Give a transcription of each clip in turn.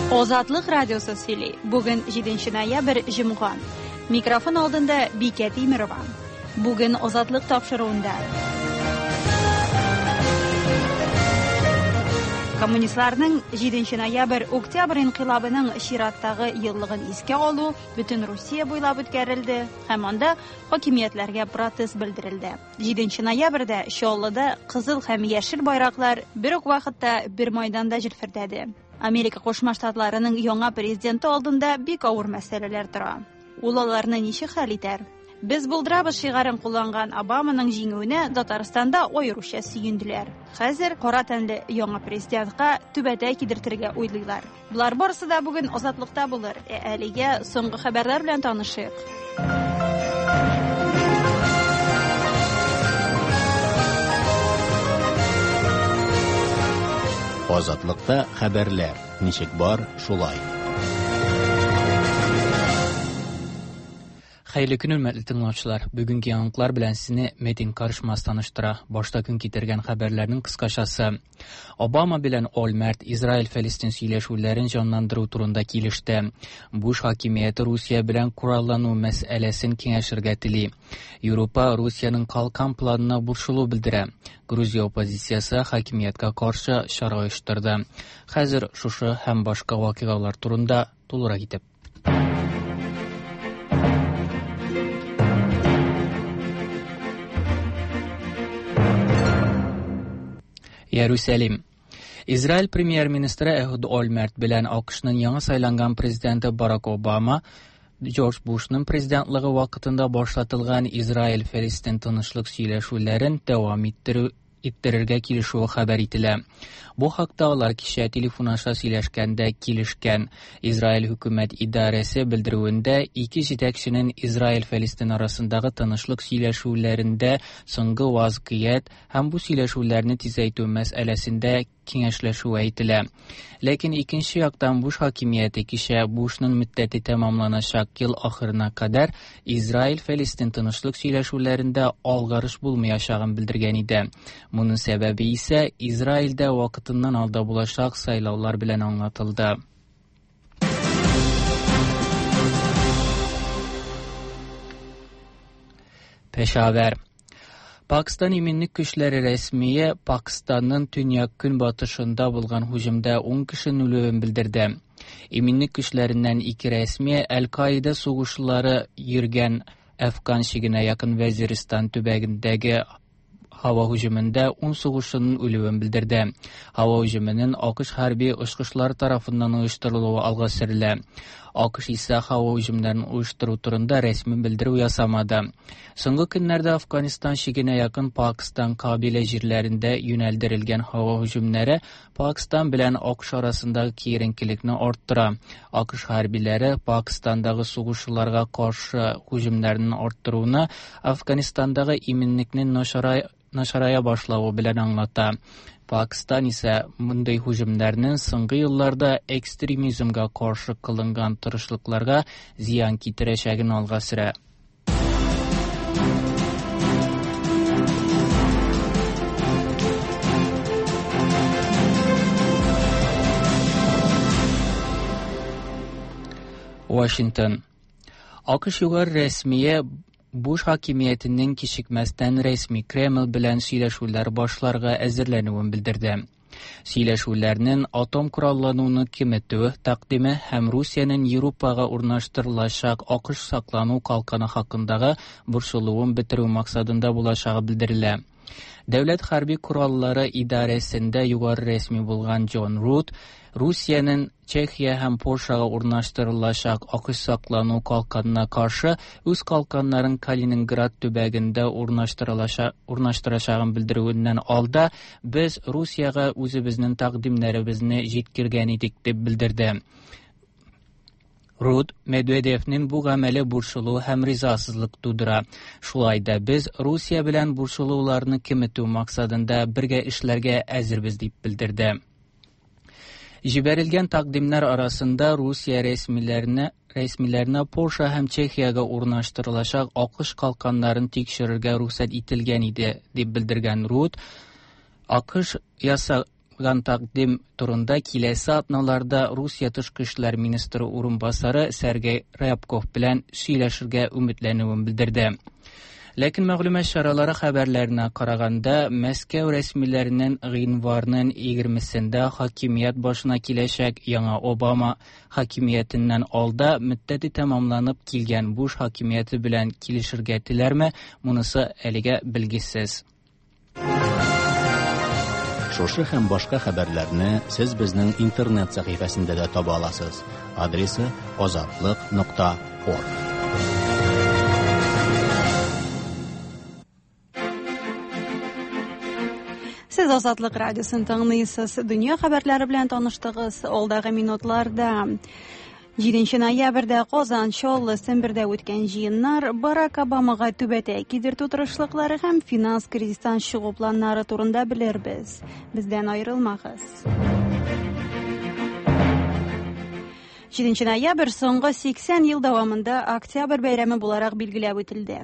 Азатлык радиосы сөйли. Бүген 7 ноябрь, җомга. Микрофон алдында Бикә Тимерова. Бүген Азатлык тапшыруында. Коммунистларның 7 ноябрь Октябрь инкыйлабының чираттагы еллыгын искә алу бөтен Русия буйлап үткәрелде һәм анда хакимиятләргә протест белдерелде. 7 ноябрьдә Чаллыда кызыл һәм яшел байраклар бер үк вакытта бер майданда җилфердәде. Америка Кушма Штатларының яңа президенты алдында бик авыр мәсьәләләр тора. Ул аларны ничек хәл итәр? Без булдырабыз шигарен кулланган Обаманың җиңүенә Татарстанда аеруча сөенделәр. Хәзер кара тәнле яңа президентка түбәтәй кидертергә уйлыйлар. Болар барысы да бүген Азатлыкта булыр. Ә әлегә соңгы хәбәрләр белән танышыйк. Азатлыкта хәбәрләр ничек бар, шулай. Хәерле көн, хөрмәтле тыңлаучылар. Бүгенге яңалыклар белән сезне Метин Карышмас таныштыра. Башта көн китергән хәбәрләрнең кыскачасы. Обама белән Ольмерт Израиль-Фәлестин сөйләшүләрен җанландыру турында килеште. Буш хакимияте Русия белән кораллану мәсьәләсен киңәшергә тели. Европа Русиянең калкан планына борчылу белдерә. Грузия оппозициясе хакимияткә каршы чара оештырды. Хәзер шушы һәм башка вакыйгалар турында тулырак итеп. Иерусалим. Израиль премьер-министры Эхуд Ольмерт белән АКШның яңа сайланган президенты Барак Обама Джордж Бушның президентлыгы вакытында башлатылган Израиль-Фәлестин тынычлык сөйләшүләрен дәвам иттерү иттерергә килешүе хәбәр ителә. Бу хакта алар кичә телефон аша сөйләшкәндә килешкән. Израиль хөкүмәт идарәсе белдерүендә ике җитәкченең Израиль-Фәлестин арасындагы тынычлык сөйләшүләрендә соңгы вазгыять һәм бу сөйләшүләрне тизәйтү мәсьәләсендә киңәшләшүе әйтелә. Ләкин икенче яктан Буш хакимияте кичә Бушның мөддәте тәмамланачак ел ахырына кадәр Израиль-Фәлестин тынычлык сөйләшүләрендә алгарыш булмаячагын белдергән иде. Моның сәбәбе исә Израильдә вакытыннан алда булачак сайлаулар белән аңлатылды. Пешавер. Пакистан иминлек көчләре рәсмие Пакистанның төньяк-көнбатышында булган һөҗүмдә 10 кешенең үлүен белдерде. Иминлек көчләреннән ике рәсми Әл-Каида сугышчылары йөргән Әфган чигенә якын Вәзиристан төбәгендәге һава һөҗүмендә 10 сугышчының үлүен белдерде. Һава һөҗүменең АКШ хәрби очкычлары тарафыннан оештырылуы алга сөрелә. АКШ исә һава һөҗүмнәрен оештыру турында рәсми белдерү ясамады. Соңгы көннәрдә Афганистан чигенә якын Пакистан кабилә җирләрендә юнәлдерелгән һава һөҗүмнәре Пакистан белән АКШ арасындагы киеренкелекне арттыра. АКШ хәрбиләре Пакистандагы сугышчыларга каршы һөҗүмнәрне арттыруны Афганистандагы иминлекне начарая башлавы белән аңлата. Пакистан исә мондый һөҗүмнәрнең соңгы елларда экстремизмга каршы кылынган тырышлыкларга зыян китерәчәген алга сөрә. Вашингтон. АКШ югары рәсмие Буш хакимиятенең кичекмәстән рәсми Кремль белән сөйләшүләр башларга әзерләнүен белдерде. Сөйләшүләрнең атом кораллануны киметү тәкъдиме һәм Русиянең Европага урнаштырылачак АКШ саклану калканы хакындагы борчылуын бетерү максатында булачагы белдерелә. Дәүләт хәрби кораллары идарәсендә югары рәсми булган Джон Рут Русиянең Чехия һәм Польшага урнаштырылачак АКШ саклану калканына каршы үз калканнарын Калининград төбәгендә урнаштырачагын белдерүеннән алда без Русиягә үзебезнең тәкъдимнәребезне җиткергән идек дип белдерде. Рут Медведевнең бу гамәле борчылу һәм ризасызлык тудыра. Шулай да без Русия белән борчылуларны киметү максатында бергә эшләргә әзербез дип белдерде. Җибәрелгән тәкъдимнәр арасында Русия рәсмиләренә рәсмиләренә Польша һәм Чехиягә урнаштырылачак АКШ калканнарын тикшерергә рөхсәт ителгән иде, дип белдергән Рут. АКШ яса Ясалган тәкъдим турында киләсе атналарда Русия тышкы эшләр министры урынбасары Сергей Рябков белән сөйләшергә өметләнүен белдерде. Ләкин мәгълүмат чаралары хәбәрләренә караганда, Мәскәү рәсмиләренең гыйнварның 20-сендә хакимият башына киләчәк яңа Обама хакимиятеннән алда мөддәте тәмамланып килгән Буш хакимияте белән килешергә теләрме, монысы әлегә билгесез. Шушы һәм башка хәбәрләрне сез безнең интернет сәхифәсендә дә таба аласыз. Адресы azatliq.org. Сез Азатлык радиосын тыңлыйсыз. Дөнья хәбәрләре белән таныштыгыз. Алдагы минутларда 7 ноябрьдә Казан, Чаллы, Сембердә үткән җыеннар Барак Обамага түбәтәй кидертү тырышлыклары һәм финанс кризистан чыгу планнары турында белербез. Бездән аерылмагыз. 7 ноябрь соңгы 80 ел дәвамында Октябрь бәйрәме буларак билгеләп үтелде.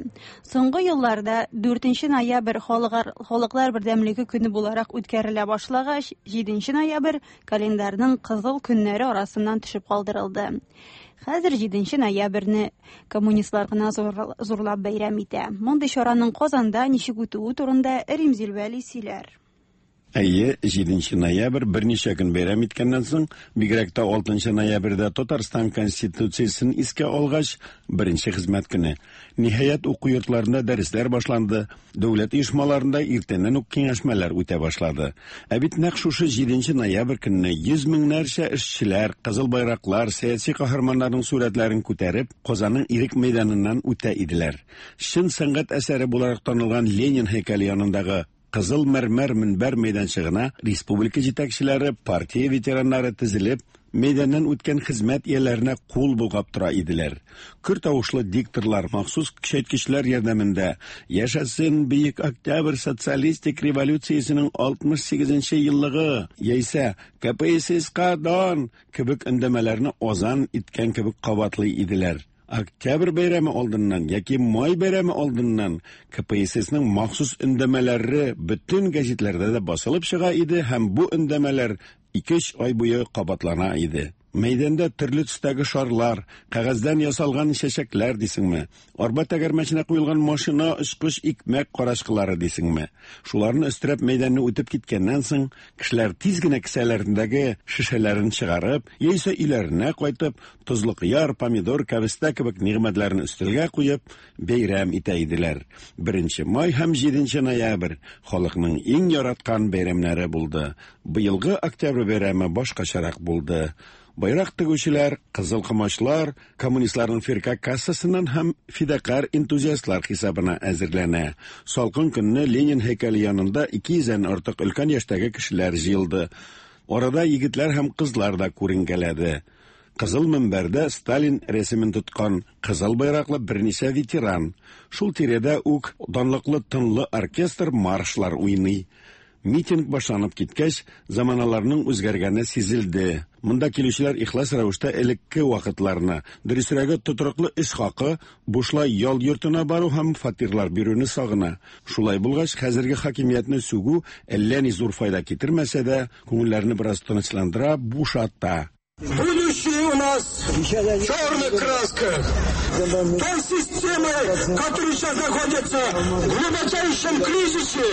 Соңгы елларда 4 ноябрь халыклар бердәмлеге көне буларак үткәрелә башлагач, 7 ноябрь календарьның кызыл көннәре арасыннан төшеп калдырылды. Хәзер 7 ноябрьне коммунистлар гына зурлап бәйрәм итә. Мондый чараның Казанда ничек үтүе турында Римзил Вәли сөйләр. Әйе, 7 ноябрь берничә көн бәйрәм иткәннән соң, бигрәк тә 6 ноябрьдә Татарстан Конституциясен искә алгач, беренче хезмәт көне. Ниһаять, уку йортларында дәресләр башланды, дәүләт оешмаларында иртәннән үк киңәшмәләр үтә башлады. Ә бит нәкъ шушы 7 ноябрь көнне йөз меңнәрчә эшчеләр, кызыл байраклар, сәяси каһарманнарның сурәтләрен күтәреп, Казанның Ирек мәйданыннан үтә иделәр. Чын сәнгать әсәре буларак танылган Ленин һәйкәле янындагы Кызыл мәрмәр мөнбәр мәйданчыгына республика җитәкчеләре, партия ветераннары тезелеп, мәйданнан үткән хезмәт ияләренә кул болгап тора иделәр. Көр тавышлы дикторлар махсус көчәйткечләр ярдәмендә «Яшәсен Бөек Октябрь социалистик революциясенең 68 еллыгы» яисә «КПССка дан» кебек өндәмәләрне азан иткән кебек кабатлый иделәр. Октябрь бәйрәме алдыннан яки май бәйрәме алдыннан КПССның махсус өндәмәләре бөтен гәзитләрдә дә басылып чыга иде һәм бу өндәмәләр 2-3 ай буе кабатлана иде. Мәйданда төрле төстәге шарлар, кәгазьдән ясалган чәчәкләр дисеңме, арба тәгәрмәченә куелган машина, очкыч, икмәк карачкылары дисеңме. Шуларны өстерәп мәйданны үтеп киткәннән соң, кешеләр тиз генә кесәләрендәге шешәләрен чыгарып, яисә өйләренә кайтып, тозлы кыяр, помидор, кәбестә кебек нигъмәтләрен өстәлгә куеп, бәйрәм итә иделәр. 1 май һәм 7 ноябрь халыкның иң яраткан бәйрәмнәре булды. Быелгы октябрь бәйрәме башкачарак булды. Байрак тегүчеләр, кызыл комачлар, коммунистларның фирка кассасыннан һәм фидакар энтузиастлар хисабына әзерләнә. Салкын көнне Ленин һәйкәле янында 200-дән артык өлкән яшьтәге кешеләр җыелды. Арада егетләр һәм кызлар да күренгәләде. Кызыл мөнбәрдә Сталин рәсемен тоткан кызыл байраклы берничә ветеран. Шул тирәдә үк данлыклы тынлы оркестр маршлар уйный. Митинг башланып киткәч, заманаларның үзгәргәне сизелде. Монда килүчеләр ихлас рәвештә элекке вакытларны, дөресрәге тотрыклы эш хакы, бушлай ял йортына бару һәм фатирлар бирүне сагына. Шулай булгач, хәзерге хакимиятне сүгү әллә ни зур файда китермәсә дә, күңелләрне бераз тынычландыра, бушата. Будущее у нас в черных красках. Той системой, которая сейчас находится в глубочайшем кризисе.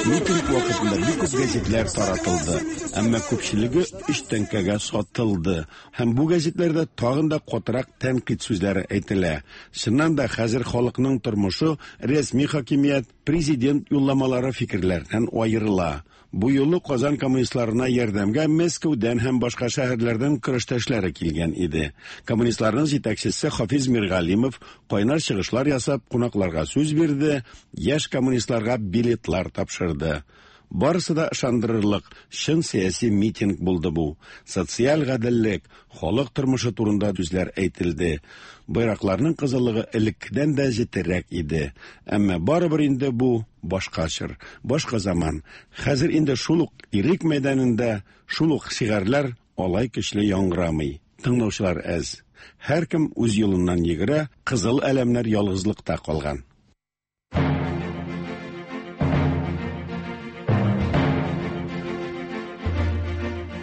Митинг вакытында бик күп гәзитләр таратылды, әмма күпчелеге өч тәңкәгә сатылды. Һәм бу гәзитләрдә тагын да катырак тәнкыйть сүзләре әйтелә. Чыннан да хәзер халыкның тормышы рәсми хакимият, президент юлламалары фикерләреннән аерыла. Бу юлы Казан коммунистларына ярдәмгә Мәскәүдән һәм башка шәһәрләрдән көрәштәшләре килгән иде. Коммунистларның җитәкчесе Хафиз Миргалимов кайнар чыгышлар ясап кунакларга сүз бирде, яшь коммунистларга билетлар тапшырды. Барысы да ышандырырлык чын сәяси митинг булды бу. Социаль гаделлек, халык тормышы турында сүзләр әйтелде. Байракларның кызыллыгы элеккедән дә җетерәк иде. Әмма барыбер инде бу башка чор, башка заман. Хәзер инде шул ук Ирек мәйданында шул ук шигарьләр алай көчле яңгырамый. Тыңлаучылар әз. Һәркем үз юлыннан йөгерә, кызыл әләмнәр ялгызлыкта калган.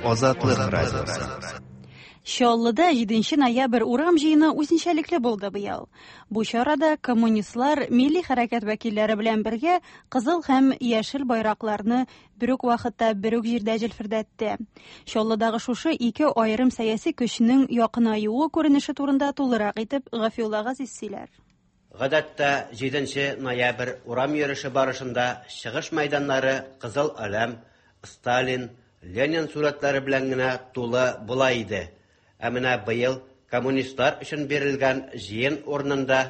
Азатлык радиосы. Чаллыда 7 ноябрь урам җыены үзенчәлекле булды быел. Бу чарада коммунистлар милли хәрәкәт вәкилләре белән бергә кызыл һәм яшел байракларны бер үк вакытта бер үк җирдә җилфердәтте. Чаллыдагы шушы ике аерым сәяси көчнең якынаюы күренеше турында тулырак итеп Гафиулла Газиз сөйләр. Гадәттә 7 ноябрь урам йөреше барышында чыгыш мәйданнары Кызыл Әләм, Сталин, Ленин сурәтләре белән генә тулы була иде. Ә менә быел коммунистлар өчен бирелгән җыен урынында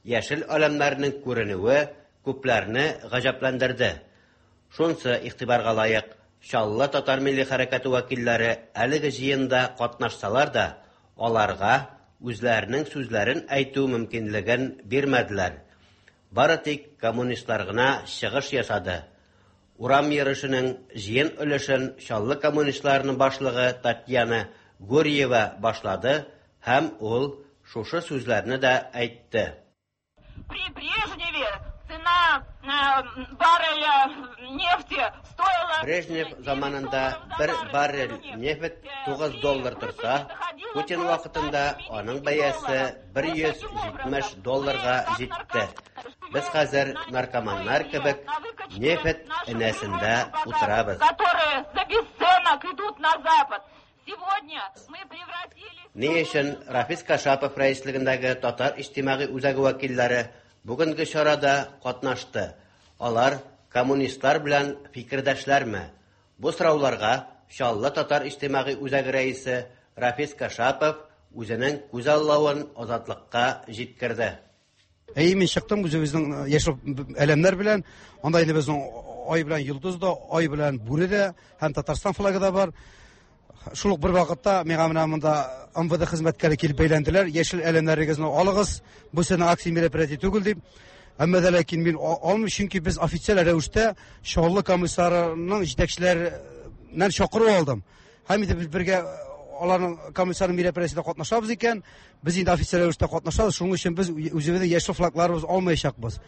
яшел әләмнәрнең күренүе күпләрне гаҗәпләндерде. Шунсы игътибарга лаек, Чаллы татар милли хәрәкәте вәкилләре әлеге җыенда катнашсалар да, аларга үзләренең сүзләрен әйтү мөмкинлеген бирмәделәр. Бары тик коммунистлар гына чыгыш ясады. Урам йөрешенең җыен өлешен Чаллы коммунистларының башлыгы Татьяна Гурьева башлады һәм ул шушы сүзләрне дә әйтте. При Брежневе цена барреля нефти стоила... Брежнев заманында бер баррель нефть 9 доллар торса, Путин вакытында аның бәясе 170 долларга җитте. Без хәзер наркоманнар кебек нефть энәсендә утырабыз. Которые за бесценок идут на Запад. Сегодня мы превратились... Ни өчен Рафис Кашапов рәислегендәге Татар иҗтимагый үзәге вәкилләре бүгенге чарада катнашты? Алар коммунистлар белән фикердәшләрме? Бу сорауларга Чаллы Татар иҗтимагый үзәге рәисе Рафис Кашапов үзенең күзаллавын Азатлыкка җиткерде. Әйе, мин чыктым үзебезнең яшел әләмнәр белән. Анда инде безнең ай белән йолдыз да, ай белән бүре дә һәм Татарстан флагы да бар. Шул ук бер вакытта миңа менә монда МВД хезмәткәре килеп бәйләнделәр. Яшел әләмнәрегезне алыгыз, бу сезнең акция мероприятие түгел дип. Әмма дә ләкин мин алмыйм, чөнки без официаль рәвештә Чаллы комиссарының җитәкчеләреннән чакыру алдым. Һәм инде без бергә аларның комиссарның мероприятиесендә катнашабыз икән, без инде официаль рәвештә катнашабыз, шуның өчен без үзебезнең яшел флагларыбыз алмаячакбыз.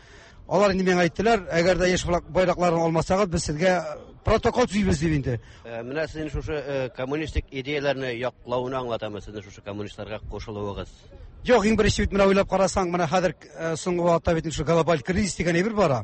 Алар инде миңа әйттеләр, әгәр дә яшел флаг байракларын алмасагыз, без сезгә протокол төзибез дип инде. Менә сезнең шушы коммунистик идеяләрне яклауны аңлатамы сезнең шушы коммунистларга кушылуыгыз? Юк, иң беренче бит менә уйлап карасаң, менә хәзер соңгы вакытта бит шушы глобаль кризис дигән әйбер бара.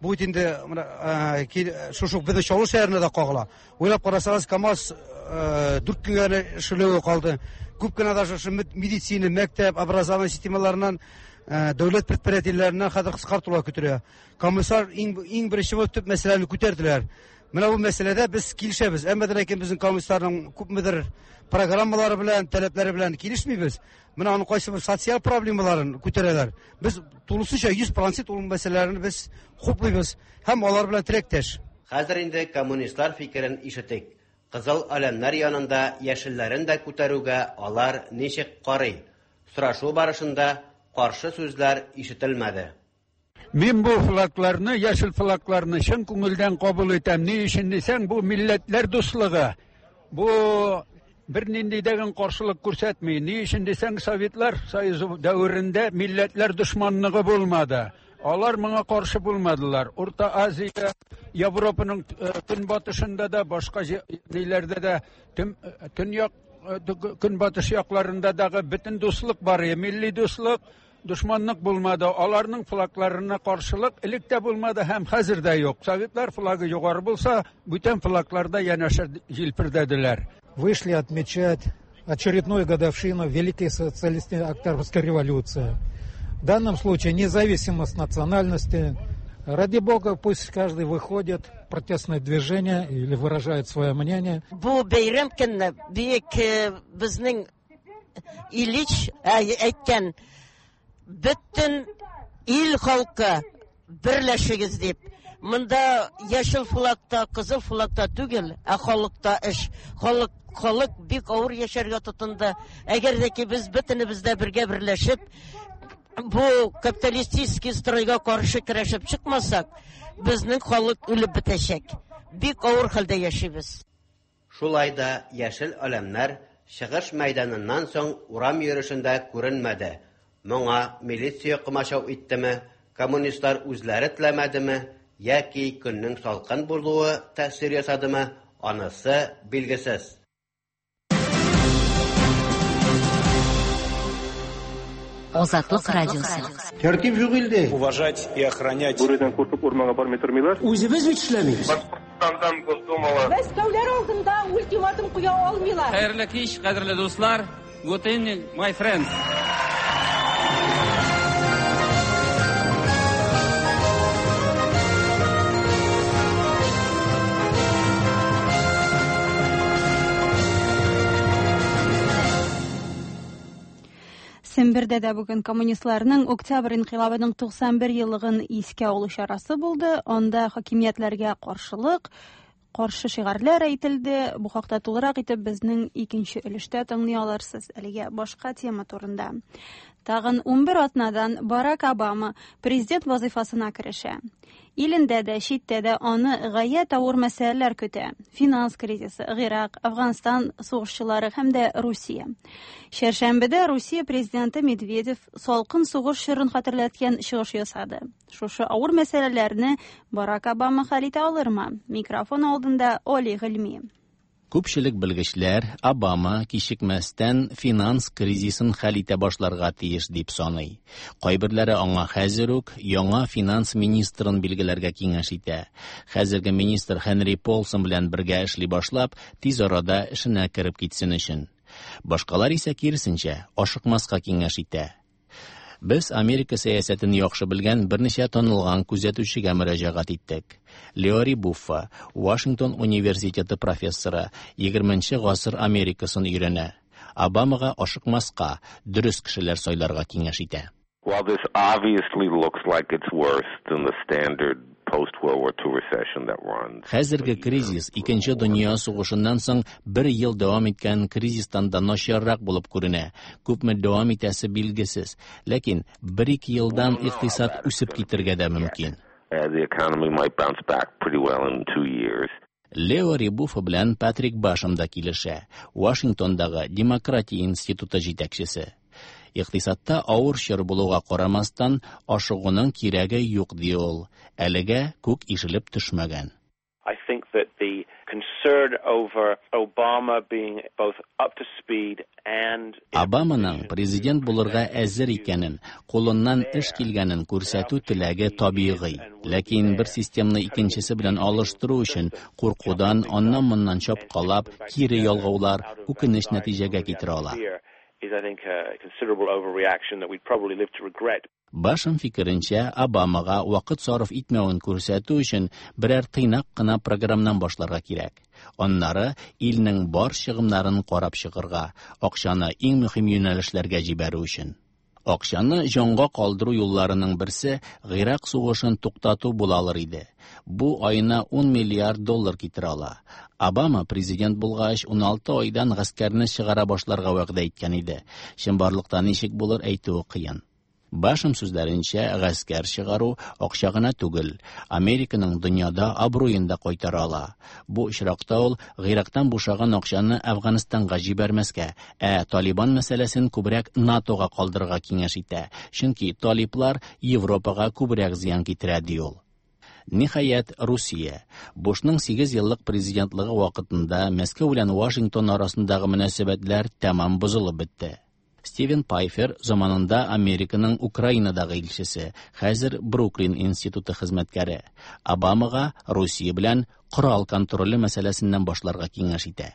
Бу бит инде менә шушы безнең Чаллы шәһәренә дә кагыла. Уйлап карасагыз, КАМАЗ 4 көнгә генә эшләве калды. Күп кенә даже шушы медицина, мәктәп, образование системаларыннан, дәүләт предприятиеләреннән хәзер кыскартулар көтелә. Комиссар иң беренче булып төп мәсьәләне күтәрделәр. Менә бу мәсьәләдә без килешәбез. Әмма дә ләкин безнең комиссарның күпмедер программалары белән, таләпләре белән килешмибез. Менә аның кайсы бер социаль проблемаларын күтәрәләр. Без тулысынча 100% ул мәсьәләләрне без хуплыйбыз һәм алар белән теләктәш. Хәзер инде коммунистлар фикерен ишетик. Кызыл әләмнәр янында яшелләрен дә күтәрүгә алар ничек карый? Сорашу барышында каршы сүзләр ишетелмәде. Мин бу флагларны, яшел флагларны чын күңелдән кабул итәм. Ни өчен дисәң, бу милләтләр дуслыгы. Бу бер нинди дәген каршылык күрсәтми. Ни өчен дисәң, Советлар Союзы дәверендә милләтләр дошманлыгы булмады. Алар моңа каршы булмадылар. Урта Азия, Европаның көнбатышында да, башка ниләрдә дә, төньяк, көнбатыш якларында дагы бөтен дуслык бар, милли дуслык, дошманлык булмады. Аларның флагларына каршылык элек тә булмады һәм хәзер дә юк. Советлар флагы югары булса, бүтән флагларда янәшә җилфердәделәр. Вышли отмечать очередную годовщину Великой социалистической Октябрьской революции. В данном случае независимо от национальности, ради бога, пусть каждый выходит в протестное движение или выражает свое мнение. Бу бәйрәм көнне бик безнең Ильич әйткән, бөтен ил халкы берләшегез дип. Монда яшел флагта, кызыл флагта түгел, ә халыкта эш. Халык бик авыр яшәргә тотынды. Әгәр дә ки без бөтенебез дә бергә берләшеп, бу капиталистический стройга каршы көрәшеп чыкмасак, безнең халык үлеп бетәчәк. Бик авыр хәлдә яшибез. Шулай да яшел әләмнәр чыгыш мәйданыннан соң урам йөрешендә күренмәде. Моңа милиция комачау иттеме, коммунистлар үзләре теләмәдеме, яки көннең салкын булуы тәэсир ясадымы, анысы билгесез. Азатлык радиосы. Тәртип юк илдә. Уважать и охранять. Бүредән куркып урманга бармый тормыйлар. Үзебез бит эшләмибез. Башкортстандан Госдумала. Мәскәүләр алдында ультиматум куя алмыйлар. Хәерле кич, кадерле дуслар. Good evening, my friends. Сембердә дә бүген коммунистларның Октябрь инкыйлабының 91 еллыгын искә алу чарасы булды. Анда хакимиятләргә каршылык, каршы шигарьләр әйтелде. Бу хакта тулырак итеп безнең икенче өлештә тыңлый алырсыз. Әлегә башка тема турында. Тагын 11 атнадан Барак Обама президент вазыйфасына керешә. Илендә дә, читтә дә аны гаять авыр мәсьәләләр көтә. Финанс кризисы, Гыйрак, Афганстан сугышчылары һәм дә Русия. Чәршәмбедә Русия президенты Медведев салкын сугыш чорын хәтерләткән чыгыш ясады. Шушы авыр мәсьәләләрне Барак Обама хәл итә алырмы? Микрофон алдында Оли Гыйльми. Күпчелек белгечләр Обама кичекмәстән финанс кризисын хәл итә башларга тиеш дип саный. Кайберләре аңа хәзер үк яңа финанс министрын билгеләргә киңәш итә. Хәзерге министр Хенри Полсон белән бергә эшли башлап, тиз арада эшенә кереп китсен өчен. Башкалар исә киресенчә, ашыкмаска киңәш итә. Без Америка сәясәтен яхшы белгән берничә танылган күзәтүчегә мөрәҗәгать иттек. Леори Буффа, Вашингтон университеты профессоры, 20 гасыр Америкасын өйрәнә. Обамага ашыкмаска, дөрес кешеләр сайларга киңәш итә. While this obviously looks like it's worse than the standard post-World War II recession that runs. Хәзерге кризис Икенче дөнья сугышыннан соң бер ел дәвам иткән кризистан да начаррак булып күренә. Күпме дәвам итәсе билгесез. Ләкин бер-ике елдан икътисад үсеп китергә дә мөмкин. The economy might bounce back pretty well in 2 years. Лео Рибуфа белән Патрик Башем да килешә. Вашингтондагы Демократия институты җитәкчесе. Икътисадта авыр чор булуга карамастан, ашыгуның кирәге юк ди ул. Әлегә күк ишелеп төшмәгән. I think that the concern over Obama being both up to speed and Обаманың президент булырга әзер икәнен, кулыннан эш килгәнен күрсәтү теләге табигый. Ләкин бер системны икенчесе белән алыштыру өчен куркудан аннан-моннан чапкалап, кире ялгаулар үкенеч нәтиҗәгә китерә ала. Is, I think, a considerable overreaction that we'd probably live to regret. Башем фикеренчә, Обамага вакыт сарыф итмәвен күрсәтү өчен берәр тыйнак кына програмнан башларга кирәк. Аннары илнең бар чыгымнарын карап чыгарга, акчаны иң мөһим юнәлешләргә җибәрү өчен. Акчаны җанга калдыру юлларының берсе Гыйрак сугышын туктату була алыр иде. Бу аена 10 миллиард доллар китерә ала. Обама президент булгач 16 айдан гаскәрне чыгара башларга вәгъдә иткән иде. Чынбарлыкта ничек булыр, әйтүе кыен. Башем сүзләренчә, гаскәр чыгару акча гына түгел, Американың дөньяда абруен да кайтара ала. Бу очракта ул Гыйрактан бушаган акчаны Әфганстанга җибәрмәскә, ә Талибан мәсьәләсен күбрәк НАТОга калдырырга киңәш итә. Чөнки талиблар Европага күбрәк зыян китерә, ди ул. Ниһаять, Русия. Бушның 8 еллык президентлыгы вакытында Мәскәү белән Вашингтон арасындагы мөнәсәбәтләр тәмам бозылып бетте. Стивен Пайфер заманында Американың Украинадагы илчесе, хәзер Бруклин институты хезмәткәре. Обамага Русия белән корал контроле мәсьәләсеннән башларга киңәш итә.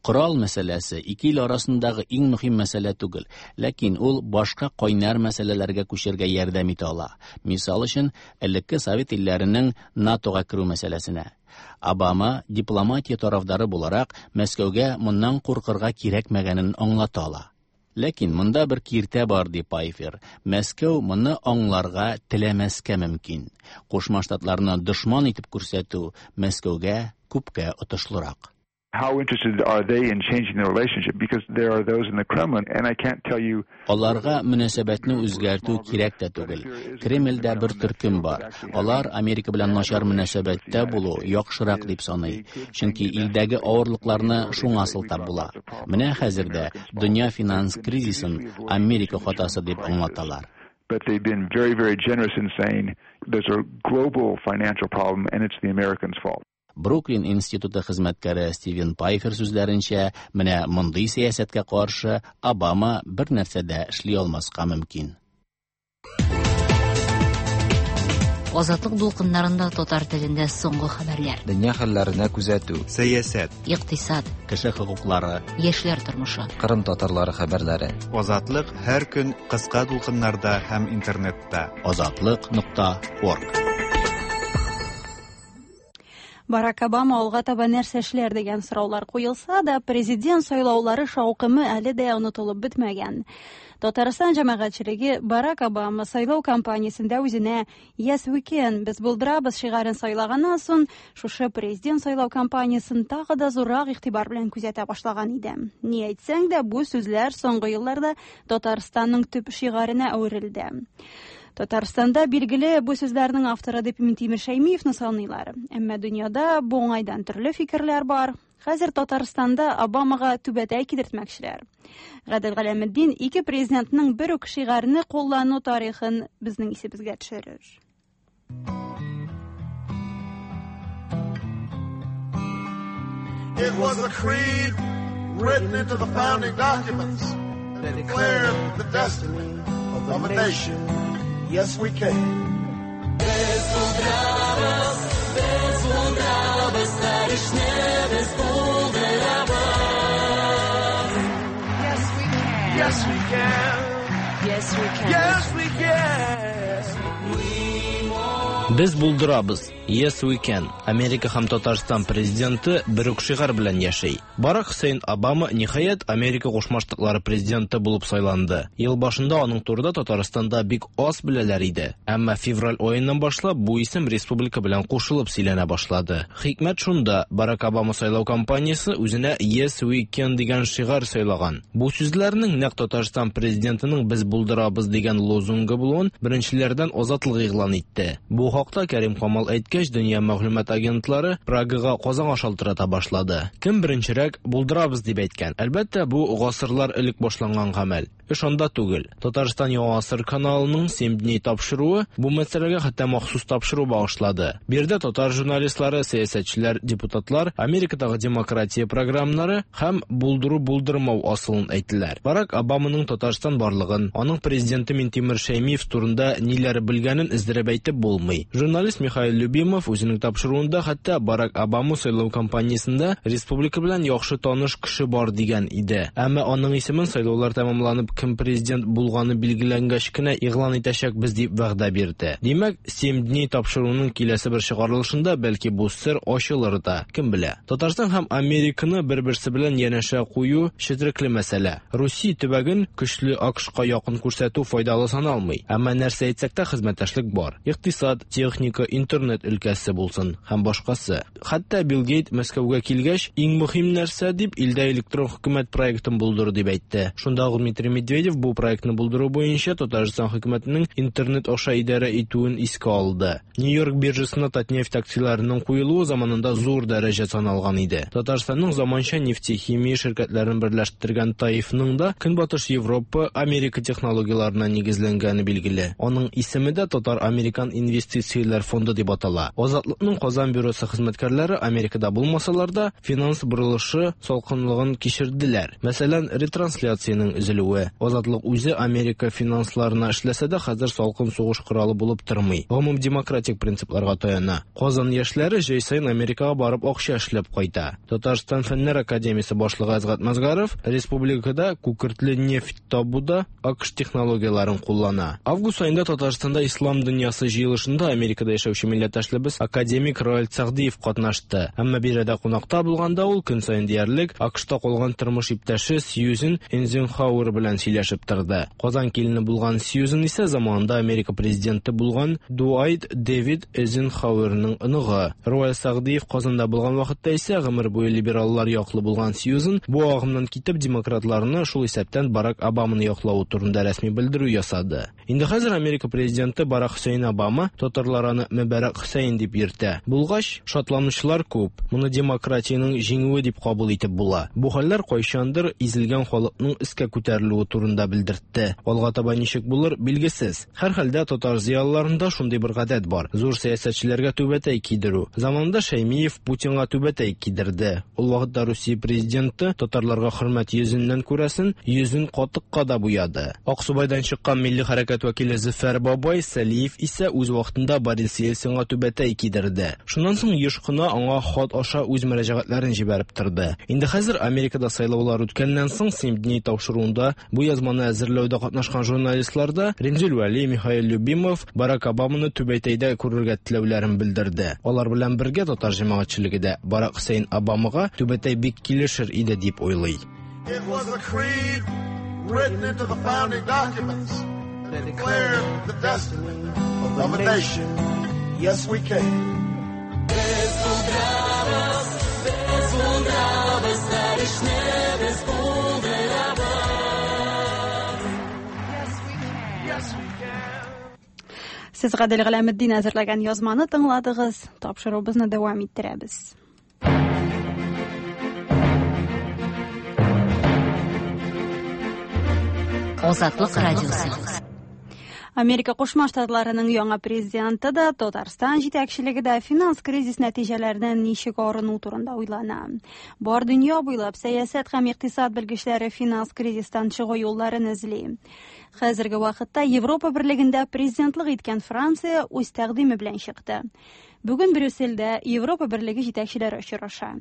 Корал мәсьәләсе ике ил арасындагы иң мөһим мәсьәлә түгел, ләкин ул башка кайнар мәсьәләләргә күчәргә ярдәм итә ала. Мисал өчен, элекке совет илләренең НАТОга керү мәсьәләсенә. Обама дипломатия тарафдары буларак Мәскәүгә моннан куркырга кирәкмәгәнен аңлата ала. Ләкин монда бер киртә бар, ди Пайфер. Мәскәү моны аңларга теләмәскә мөмкин. Кушма Штатларны дошман итеп күрсәтү Мәскәүгә күпкә отышлырак. How interested are they in changing the relationship? Because there are those in the Kremlin, and I can't tell you. Аларга мөнәсәбәтне үзгәртү кирәк тә түгел. Кремльдә бер төркем бар. Алар Америка белән начар мөнәсәбәттә булу яхшырак дип саный. Чөнки илдәге авырлыкларны шуңа сылтап була. Менә хәзер дә дөнья финанс кризисын Америка хатасы дип аңлаталар. But they've been very, very generous in saying there's a global financial problem and it's the Americans' fault. Бруклин институты хезмәткәре Стивен Пайфер сүзләренчә, менә мондый сәясәткә каршы Обама бер нәрсә дә эшли алмаска мөмкин. Азатлык дулкыннарында татар телендә соңгы хәбәрләр. Дөнья хәлләренә күзәтү. Сәясәт. Икътисад. Кеше хокуклары. Яшьләр тормышы. Кырым татарлары хәбәрләре. Азатлык һәр көн кыска дулкыннарда һәм интернетта. Азатлык.орг. Барак Обама алга таба нәрсә эшләр дигән сораулар куелса да, президент сайлаулары шаукымы әле дә онытылып бетмәгән. Татарстан җәмәгатьчелеге Барак Обама сайлау кампаниясендә үзенә Yes we can, без булдырабыз шигарен сайлаганнан соң, шушы президент сайлау кампаниясен тагы да зуррак игътибар белән күзәтә башлаган иде. Ни әйтсәң дә, бу сүзләр соңгы елларда Татарстанның төп шигаренә әверелде. Татарстанда билгеле бу сүзләрнең авторы дип Минтимер Шәймиевны саныйлар. Әмма дөньяда бу уңайдан төрле фикерләр бар. Хәзер Татарстанда Обамага түбәтәй кидертмәкчеләр. Гадел Галәметдин ике президентның бер үк шигарьне куллану тарихын безнең исебезгә төшерер. It was a creed written into the founding documents that declared the destiny of a nation. Yes, we can. Без булдырабыз, без булдырабыз, һәр эшне без булдырабыз. Yes, we can. Yes, we can. Yes, we can. Yes, we can. Без булдырабыз. Yes we can. Америка һәм Татарстан президенты бер үк шигарь белән яши. Барак Хөсәен Обама ниһаять Америка Кушма Штатлары президенты булып сайланды. Ел башында аның турында Татарстанда бик аз беләләр иде. Әмма февраль аеннан башлап бу исем республика белән кушылып сөйләнә башлады. Хикмәт шунда, Барак Обама сайлау кампаниясе үзенә Yes we can дигән шигарь сайлаган. Бу сүзләрнең нәкъ Татарстан президентының без булдырабыз дигән лозунгы булуын беренчеләрдән Азатлык игълан итте. Бу хакта Кәрим Камал әйткәч, дөнья мәгълүмат агентлары Прагага Казанга шалтырата башлады. Кем беренчерәк булдырабыз дип әйткән. Әлбәттә, бу гасырлар элек башланган гамәл. Эш анда түгел. Татарстан Яңа гасыр каналының 7 дней тапшыруы бу мәсьәләгә хәтта махсус тапшыру багышлады. Биредә татар журналистлары, сәясәтчеләр, депутатлар Америкадагы демократия программалары һәм булдыру булдырмау асылын әйттеләр. Барак Обаманың Татарстан барлыгын, аның президенты Минтимер Шәймиев турында ниләр белгәнен өздереп әйтеп булмый. Журналист Михаил Любимов үзенең тапшыруында хәтта Барак Обама сайлау кампаниясендә республика белән яхшы таныш кеше бар дигән иде. Әмма аның исемен сайлаулар тәмамланып кем президент булганы билгеләнгәч кенә игълан итәчәкбез дип вәгъдә бирде. Димәк, 7 дней тапшыруның киләсе бер чыгарылышында бәлки бу сер ачылыр да, кем белә. Татарстан һәм Американы бер-берсе белән янәшә кую четерекле мәсьәлә. Русия төбәген көчле АКШка якын күрсәтү файдалы саналмый. Әмма нәрсә әйтсәк тә хезмәттәшлек бар. Икътисад, техника, интернет өлкәсе булсын һәм башкасы. Хәтта Билл Гейт Мәскәүгә килгәч, иң мөһим нәрсә дип илдә электрон хөкүмәт проектын булдыру дип әйтте. Шунда ук Дмитрий Медведев бу проектны булдыру буенча Татарстан хөкүмәтенең интернет аша идарә итүен искә алды. Нью-Йорк биржасына Татнефть акцияләренең куелуы заманында зур дәрәҗә саналган иде. Татарстанның заманча нефтехимия ширкәтләрен берләштергән ТАИФның да Көнбатыш Европа, Америка технологияләренә нигезләнгәне билгеле. Аның исеме дә Татар-Американ инвестицияләр фонды дип атала. Азатлыкның Казан бюросы хезмәткәрләре Америкада булмасалар да, финанс борылышы салкынлыгын кичерделәр. Мәсәлән, ретрансляциянең өзелүе. Азатлык үзе Америка финансларына эшләсә дә, хәзер салкын сугыш коралы булып тормый. Гомум демократик принципларга таяна. Казан яшьләре җәй саен Америкага барып акча эшләп кайта. Татарстан Фәннәр академиясе башлыгы Әсгать Мазгаров республикада күкертле нефть табуда АКШ технологияләрен куллана. Август аенда Татарстанда Ислам дөньясы җыелышында Америкада яшәүче милләттәшлебез академик Роаль Сәгъдиев катнашты. Әмма биредә кунакта булганда ул көн саен диярлек АКШта калган тормыш иптәше Сьюзен Эйзенхауэр белән сөйләшеп торды. Казан килене булган Сьюзен исә заманында Америка президенты булган Дуайт Дэвид Эйзенхауэрның оныгы. Роаль Сәгъдиев Казанда булган вакытта исә гомер буе либераллар яклы булган Сьюзен бу агымнан китеп демократларны, шул исәптән Барак Обаманы яклавы турында рәсми белдерү ясады. Инде хәзер Америка президенты Барак Хөсәен Обама татарлар аны Мөбарәк Хөсәен дип йөртә. Булгач, шатланучылар күп. Моны демократиянең җиңүе дип кабул итеп була. Бу хәлләр кайчандыр изелгән халыкның өскә күтәрелүе турында белдертте. Алга таба ничек булыр, билгесез. Һәрхәлдә татар зыялыларында шундый бер гадәт бар. Зур сәясәтчеләргә түбәтәй кидерү. Заманында Шәймиев Путинга түбәтәй кидерде. Ул вакытта Русия президенты татарларга хөрмәт йөзеннән күрәсен, йөзен катыкка да буяды. Аксубайдан чыккан милли хәрәкәт вәкиле Зөфәр бабай Сәлиев исә үз вакытында Борис Ельцинга түбәтәй кидерде. Шуннан соң еш кына аңа хат аша үз мөрәҗәгатьләрен җибәреп торды. Инде хәзер Америкада сайлаулар үткәннән соң «Семь дней» тапшыруында бу язманы әзерләүдә катнашкан журналистлар да Римзил Вәли, Михаил Любимов Барак Обаманы түбәтәйдә күрергә теләүләрен белдерде. Алар белән бергә татар җәмәгатьчелеге дә Барак Хөсәен Обамага түбәтәй бик килешер иде дип уйлый. It was a creed written into the founding documents that declared the destiny of a nation. Yes, we can. Без булдырабыз, без булдырабыз, һәр эшне без булдырабыз. Yes, we can. Yes, we can. Сез Гадел Галәметдин әзерләгән язманы тыңладыгыз. Тапшыруыбызны дәвам иттерәбез. Азатлык радиосы. Америка Кушма Штатларының яңа президенты да, Татарстан җитәкчелеге дә финанс кризис нәтиҗәләреннән ничек арыну турында уйлана. Бар дөнья буйлап сәясәт һәм икътисад белгечләре финанс кризистан чыгу юлларын эзли. Хәзерге вакытта Европа берлегендә президентлык иткән Франция үз тәкъдиме белән чыкты. Бүген Брюссельдә Европа берлеге җитәкчеләре очраша.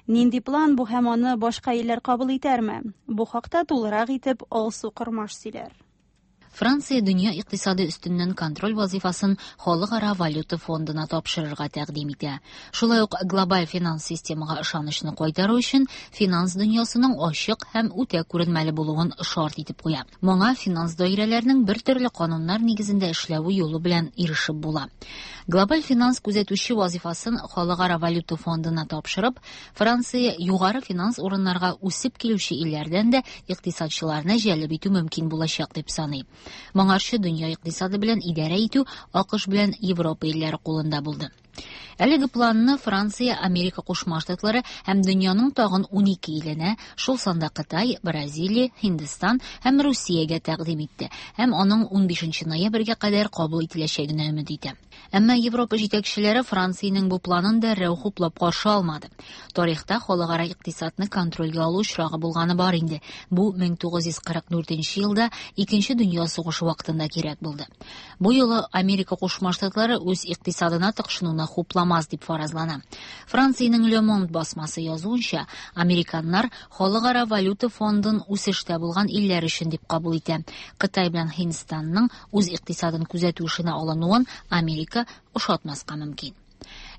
Нинди план бу һәм аны башка илләр кабул итәрме? Бу хакта тулырак итеп Алсу Кормаш сөйләр. Франция дөнья икътисады өстеннән контроль вазифасын Халыкара валюта фондына тапшырырга тәкъдим итә. Шулай ук глобаль финанс системага ышанычны кайтару өчен финанс дөньясының ачык һәм үтә күренмәле булуын шарт итеп куя. Моңа финанс даирәләренең бер төрле кануннар нигезендә эшләве юлы белән ирешеп була. Глобаль финанс күзәтүче вазифасын Халыкара валюта фондына тапшырып, Франция югары финанс урыннарга үсеп килүче илләрдән дә икътисадчыларны җәлеп итү мөмкин булачак дип саный. Моңарчы дөнья икътисады белән идарә итү АКШ белән Европа илләре кулында булды. Әлеге планны Франция, Америка Кушма Штатлары һәм дөньяның тагын 12 иленә, шул санда Кытай, Бразилия, Һиндстан һәм Русиягә тәкъдим итте һәм аның 15 ноябрьгә кадәр кабул ителәчәгенә өмет итә. Әмма Европа җитәкчеләре Франциянең бу планын дәррәү хуплап каршы алмады. Тарихта халыкара икътисадны контрольгә алу очрагы булганы бар инде. Бу 1944 елда Икенче дөнья сугышы вакытында кирәк булды. Бу юлы Америка Кушма Штатлары үз икътисадына тыкшынуны хупламас дип фаразлана. Франциянең Le Monde басмасы язуынча, американнар Халыкара валюта фондын үсештә булган илләр өчен дип кабул итә. Кытай белән Һиндстанның үз икътисадын күзәтү эшенә алынуын Америка ошатмаска мөмкин.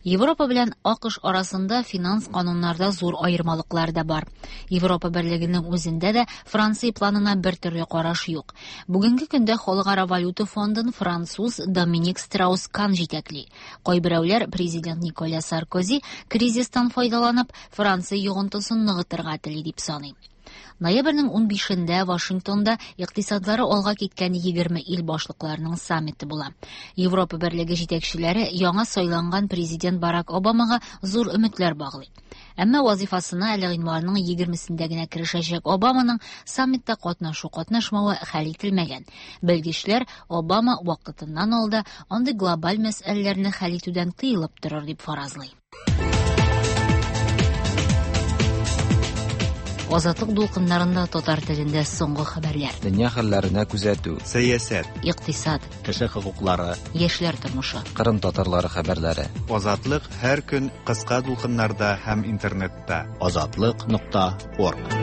Европа белән АКШ арасында финанс кануннарда зур аермалыклар да бар. Европа берлегенең үзендә дә Франция планына бер төрле караш юк. Бүгенге көндә Халыкара валюта фондын француз Доминик Страус-Кан җитәкли. Кайберәүләр президент Николя Саркози кризистан файдаланып Франция йогынтысын ныгытырга тели дип саный. Ноябрьнең 15-ндә Вашингтонда икътисадлары алга киткән 20 ил башлыкларының саммиты була. Европа берлеге җитәкчеләре яңа сайланган президент Барак Обамага зур өметләр баглый. Әмма вазифасына әле гыйнварның 20-сендә генә керешәчәк Обаманың саммитта катнашу-катнашмавы хәл ителмәгән. Белгечләр Обама вакытыннан алда андый глобаль мәсьәләләрне хәл итүдән тыелып торыр дип фаразлый. Азатлык дулкыннарында татар телендә соңгы хәбәрләр. Дөнья хәлләренә күзәтү. Сәясәт. Икътисад. Кеше хокуклары. Яшьләр тормышы. Кырым татарлары хәбәрләре. Азатлык һәр көн кыска дулкыннарда һәм интернетта. Азатлык.орг.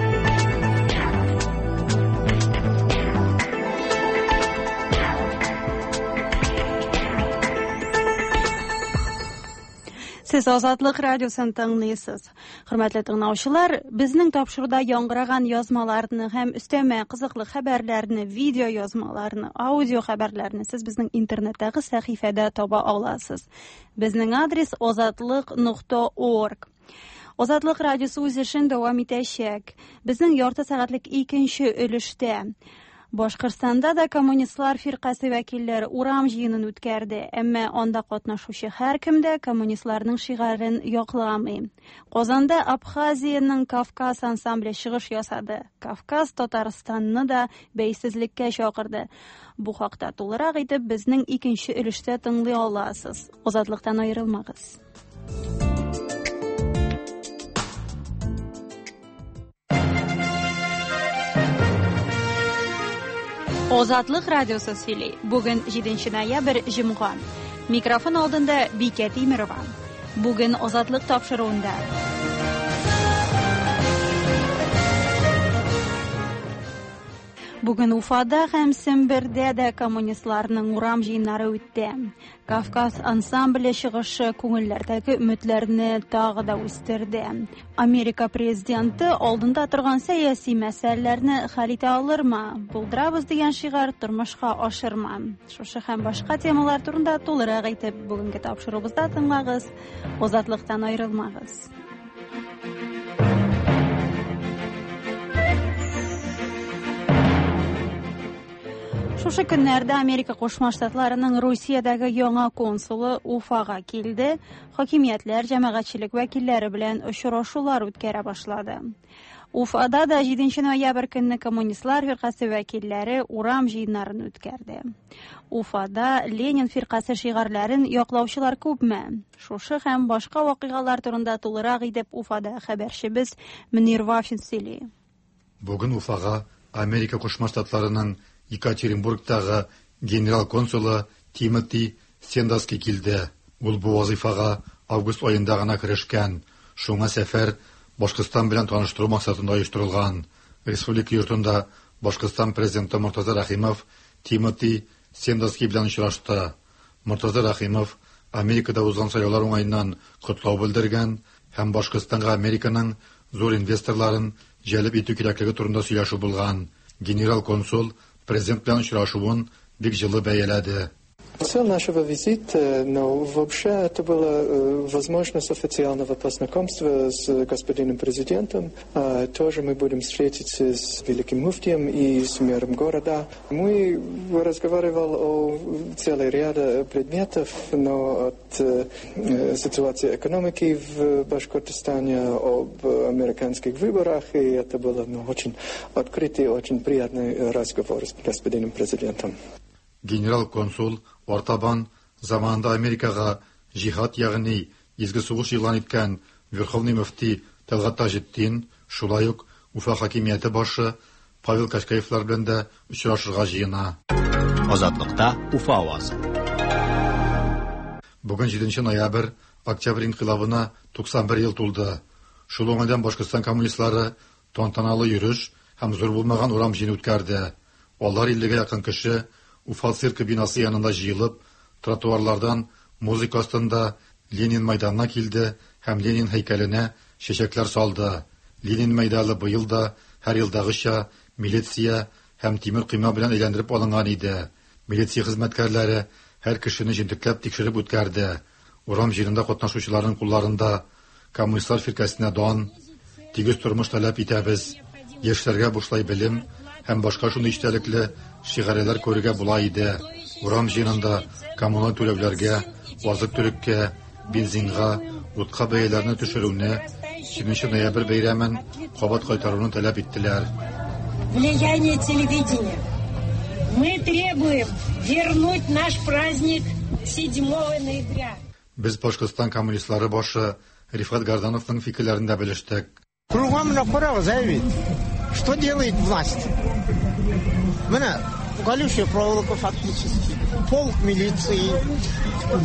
Сез Азатлык радиосын тыңлыйсыз. Хөрмәтле тыңлаучылар, безнең тапшыруда яңгыраган язмаларны һәм өстәмә кызыклы хәбәрләрне, видео язмаларны, аудио хәбәрләрне сез безнең интернеттагы сәхифәдә таба аласыз. Безнең адрес azatliq.org. Азатлык радиосы үз эшен дәвам итәчәк. Безнең ярты сәгатьлек икенче өлештә Башкортстанда да коммунистлар фиркасе вәкилләре урам җыенын үткәрде, әмма анда катнашучы һәркем дә коммунистларның шигарен якламый. Казанда Абхазиянең Кавказ ансамбле чыгыш ясады. Кавказ Татарстанны да бәйсезлеккә чакырды. Бу хакта тулырак итеп безнең икенче өлештә тыңлый аласыз. Азатлыктан аерылмагыз. Азатлык радиосы сөйли. Бүген 7 ноябрь, җомга. Микрофон алдында Бикә Тимерова. Бүген Азатлык тапшыруында. Бүген Уфада һәм Сембердә дә коммунистларның урам җыеннары үтте. Кавказ ансамбле чыгышы күңелләрдәге өметләрне тагы да үстерде. Америка президенты алдында торган сәяси мәсьәләләрне хәл итә алырмы? Булдырабыз дигән шигарь тормышка ашырма. Шушы һәм башка темалар турында тулырак итеп бүгенге тапшыруыбызда тыңлагыз. Азатлыктан аерылмагыз. Шушы көннәрдә Америка Кушма Штатларының Русиядәге яңа консулы Уфага килде, хакимиятләр, җәмәгатьчелек вәкилләре белән очрашулар үткәрә башлады. Уфада да 7 ноябрь көнне коммунистлар фиркасе вәкилләре урам җыеннарын үткәрде. Уфада Ленин фиркасе шигарьләрен яклаучылар күпме? Шушы һәм башка вакыйгалар турында тулырак итеп Уфада хәбәрчебез Мөнир Вафин сөйли. Бүген Уфага Америка Кушма Штатларының Екатеринбургтагы генерал консулы Тимоти Сендаски килде. Ул бу вазифага август аенда гына керешкән. Шуңа сәфәр Башкортстан белән таныштыру максатында оештырылган. Республика йортында Башкортстан президенты Мортаза Рәхимов Тимоти Сендаски белән очрашты. Мортаза Рәхимов Америкада узган сайлаулар уңаеннан котлау белдергән һәм Башкортстанга Американың зур инвесторларын җәлеп итү кирәклеге турында сөйләшү булган. Генерал консул президент белән очрашуын бик җылы бәяләде. Цель нашего визита, но вообще это была возможность официального познакомства с господином президентом. Тоже мы будем встретиться с великим муфтием и с мэром города. Мы разговаривали о целой ряде предметов, но от ситуации экономики в Башкортостане, об американских выборах, и это был очень открытый, очень приятный разговор с господином президентом. Генерал-консул артабан заманында Америкага җиһад, ягъни изге сугыш игълан иткән Верховный мөфти Тәлгать Таҗетдин, шулай ук Уфа хакимияте башы Павел Качкаевлар белән дә очрашырга җыена. Азатлыкта Уфа авазы. Бүген 7 ноябрь, Октябрь инкыйлабына 91 ел тулды. Шул уңайдан Башкортстан коммунистлары тантаналы йөреш һәм зур булмаган урам җыены үткәрде. Алар 50гә якын кеше Уфа циркы бинасы янында җыелып, тротуарлардан музыка астында Ленин мәйданына килде һәм Ленин һәйкәленә чәчәкләр салды. Ленин мәйданы быел да һәр елдагыча милиция һәм тимер койма белән әйләндереп алынган иде. Милиция хезмәткәрләре һәр кешене җентекләп тикшереп үткәрде. Урам җыенында катнашучыларның кулларында коммунистлар фиркәсенә дан, тигез тормыш таләп итәбез, яшьләргә бушлай белем һәм башка шундый эчтәлекле шигарьләр күрергә була иде. Урам җыенында коммуналь түләүләргә, азык-төлеккә, бензинга, утка бәяләрне төшерүне, 7 ноябрь бәйрәмен кабат кайтаруны таләп иттеләр. Влияние телевидения. Мы требуем вернуть наш праздник 7 ноября. Без Башкортстан коммунистлары башы Рифкать Гардановның фикерләрен дә белештек. Кругом менә карагыз, әй бит. Что делает власть? Менә колючая проволока фактически, полк милиции.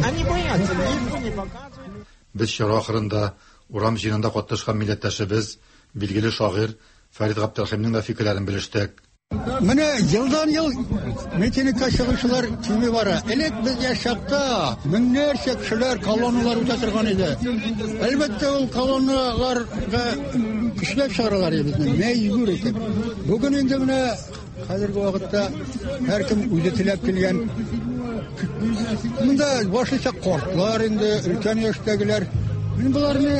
Они боятся, никто не показывает. Без чара ахырында урам җыенында катнашкан милләттәшебез, билгеле шагыйрь Фәрид Габдрәхимнең дә фикерләрен белештек. Менә елдан-ел митингка чыгучылар кими бара. Элек без яшь чакта меңнәрчә кешеләр колонналар үтә торган иде. Әлбәттә, ул колонналарга көчләп чыгаралар иде безне, мәҗбүр итеп. Бүген инде менә хәзерге вакытта һәркем үзе теләп килгән. Монда башлыча картлар инде, өлкән яшьтәгеләр. Мин боларны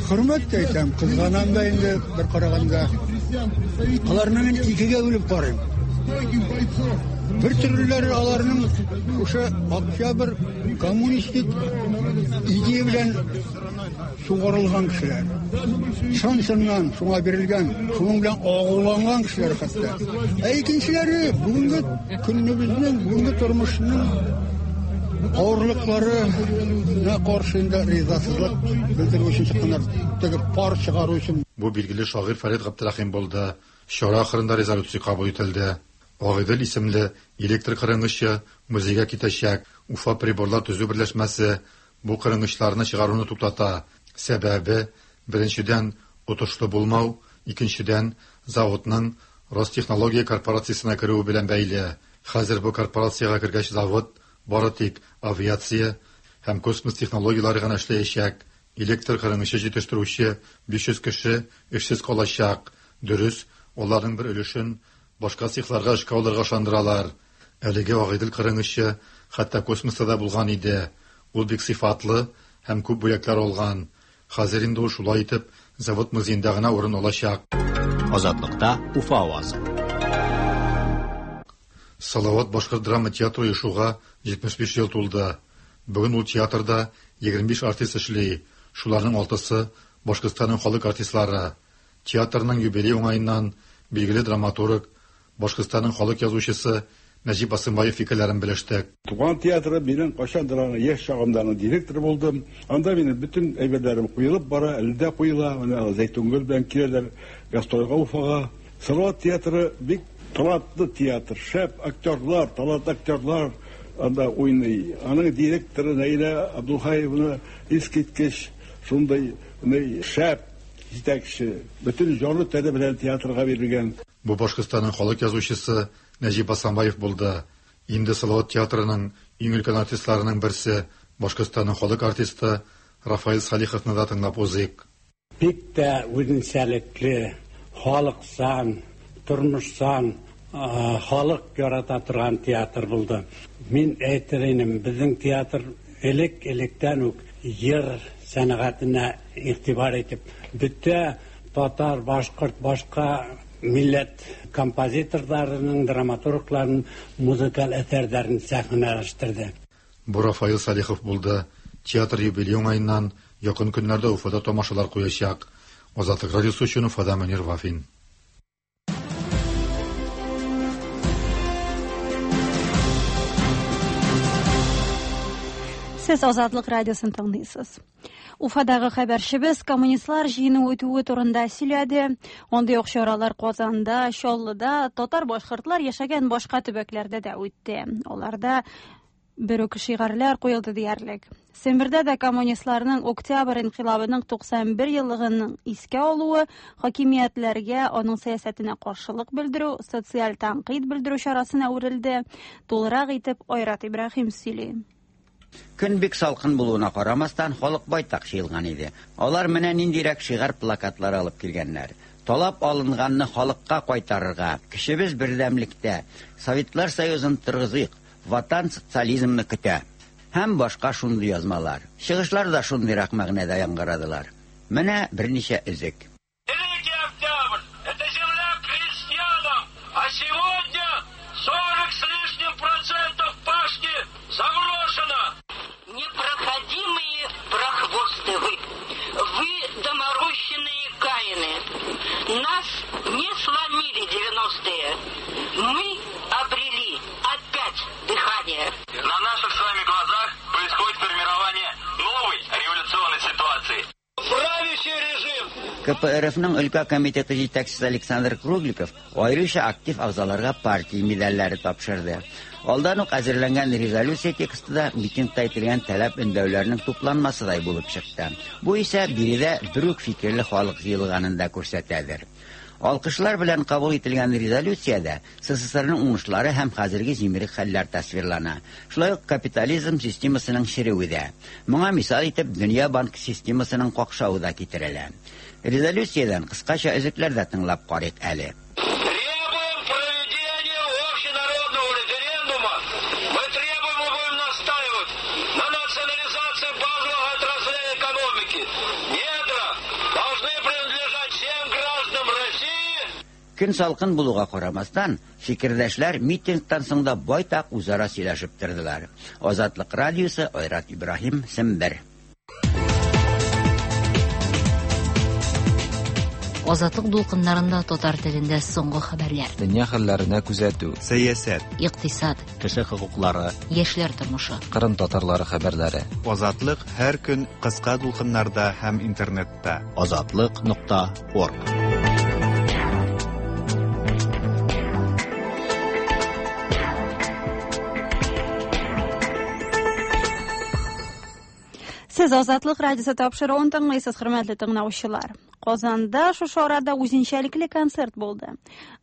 хөрмәт тә итәм, кызганам да инде бер караганда. Аларны мин икегә бүлеп карыйм. Бер төрлеләре аларның шушы октябрь коммунистик идея белән сугарылган кешеләр. Чын-чыннан шуңа бирелгән, шуның белән агуланган кешеләр хәтта. Ә икенчеләре бүгенге көнебезнең, бүгенге тормышның авырлыкларына каршы инде ризасызлык белдерү өчен чыкканнар. Теге пар чыгару өчен. Бу билгеле шагыйрь Фәрит Габдрәхим булды. Чара ахырында резолюция кабул ителде. Агыйдел исемле электр кырынгычы музейга китәчәк. Уфа приборлар төзү берләшмәсе бу кырынгычларны чыгаруны туктата. Сәбәбе, беренчедән, отышлы булмау, икенчедән, заводның Ростехнология корпорациясенә керүе белән бәйле. Хәзер бу корпорациягә кергәч завод бары тик авиация һәм космос технологияләре гына эшләячәк. Электр кырынгычы җитештерүче 500 кеше эшсез калачак. Дөрес, аларның бер өлешен башка цехларга эшкә алырга ышандыралар. Әлеге Агыйдел кырынгычы хәтта космоста да булган иде. Ул бик сыйфатлы һәм күп бүләкләр алган. Хәзер инде ул шулай итеп завод музеенда гына урын алачак. Азатлыкта Уфа авазы. Салават башкорт драма театры оешуга 75 ел тулды. Бүген ул театрда 25 артист эшли. Шуларның алтысы Башкортстанның халык артистлары. Театрның юбилей уңаеннан билгеле драматург, Башкортстанның халык язучысы Нәҗип Асымбаев фикерләрен белештек. Туган театры минем кайчандыр аны яшь чагымда аның директоры булдым. Анда минем бөтен әйберләрем куелып бара, әле дә куела. Менә Зәйтүнгөл белән киләләр гастрольгә Уфага. Салават театры бик талантлы театр, шәп актерлар, талантлы актерлар анда уйный. Аның директоры Наилә Абдулхаевна искиткеч шундый шәп җитәкче. Бөтен җаны тәне белән театрга бирелгән. Бу Башкортстанның халык язучысы Нәҗип Асанбаев булды. Инде Салават театрының иң өлкән артистларының берсе, Башкортстанның халык артисты Рафаэль Салиховны да тыңлап узыйк. Бик тә үзенчәлекле, халыкчан, тормышчан, халык ярата торган театр булды. Мин әйтер инем, безнең театр элек-электән үк йыр сәнгатенә игътибар итеп, бөтә татар, башкорт, башка милләт композиторларының, драматургларының музыкаль әсәрләрен сәхнәләштерде. Бу Рафаил Салихов булды. Театр юбилей уңаеннан якын көннәрдә Уфада тамашалар куячак. Азатлык радиосы өчен Уфада Мөнир Вафин. Сез Азатлык радиосын тыңлыйсыз. Уфадагы хәбәрчебез коммунистлар җыены үтүе турында сөйләде. Андый ук чаралар Казанда, Чаллыда, татар-башкортлар яшәгән башка төбәкләрдә дә үтте. Аларда бер үк шигарьләр куелды диярлек. Сембердә дә коммунистларның Октябрь инкыйлабының 91 еллыгын искә алуы, хакимиятләргә аның сәясәтенә каршылык белдерү, социаль тәнкыйть белдерү чарасына әверелде. Тулырак итеп Айрат Ибраһим сөйли. Көн бик салкын булуына карамастан, халык байтак җыелган иде. Алар менә ниндирәк шигарь плакатлар алып килгәннәр. Талап алынганны халыкка кайтарырга, көчебез бердәмлектә, Советлар Союзын торгызыйк, Ватан социализмны көтә. Һәм башка шундый язмалар. Чыгышлар да шундыйрак мәгънәдә яңгырадылар. Менә берничә өзек. Великий Октябрь – это земля крестьянам, а сегодня 40 с лишним процентов пашни заброшено. Непроходимые прохвосты вы, вы доморощенные каины. Нас не сломили 90-е. Мы обрели опять дыхание. На наших с вами глазах происходит формирование новой революционной ситуации. Правящий режим КПРФның өлкә комитеты җитәкчесе Александр Кругликов аеруча актив әгъзаларга партия медальләре тапшырды. Алдан ук әзерләнгән резолюция тексты да митингта әйтелгән таләп-өндәүләрнең тупланмасыдай булып чыкты. Бу исә биредә бер үк фикерле халык җыелганын да күрсәтәдер. Алкышлар белән кабул ителгән резолюциядә СССРның уңышлары һәм хәзерге җимерек хәлләр тасвирлана. Шулай ук капитализм системасының черүе дә. Моңа мисал итеп Дөнья банк системасының какшавы да китерелә. Резолюциядән кыскача өзекләр дә тыңлап карыйк әле. Требуем проведения общенародного референдума. Мы требуем и будем настаивать на национализации базовых отраслей экономики. Недра должны принадлежать всем гражданам России. Көн салкын булуга карамастан, фикердәшләр митингтан соң да байтак үзара сөйләшеп тордылар. Азатлык радиосы, Айрат Ибраһим, Сембер. Азатлык дулкыннарында татар телендә соңгы хәбәрләр. Дөнья хәлләренә күзәтү. Сәясәт. Икътисад. Кеше хокуклары. Яшьләр тормышы. Кырым татарлары хәбәрләре. Азатлык һәр көн кыска дулкыннарда һәм интернетта. Азатлык нокта орг. Сез Азатлык радиосы тапшыруын тыңлыйсыз, хөрмәтле тыңлаучылар. Казанда шушы арада үзенчәлекле концерт булды.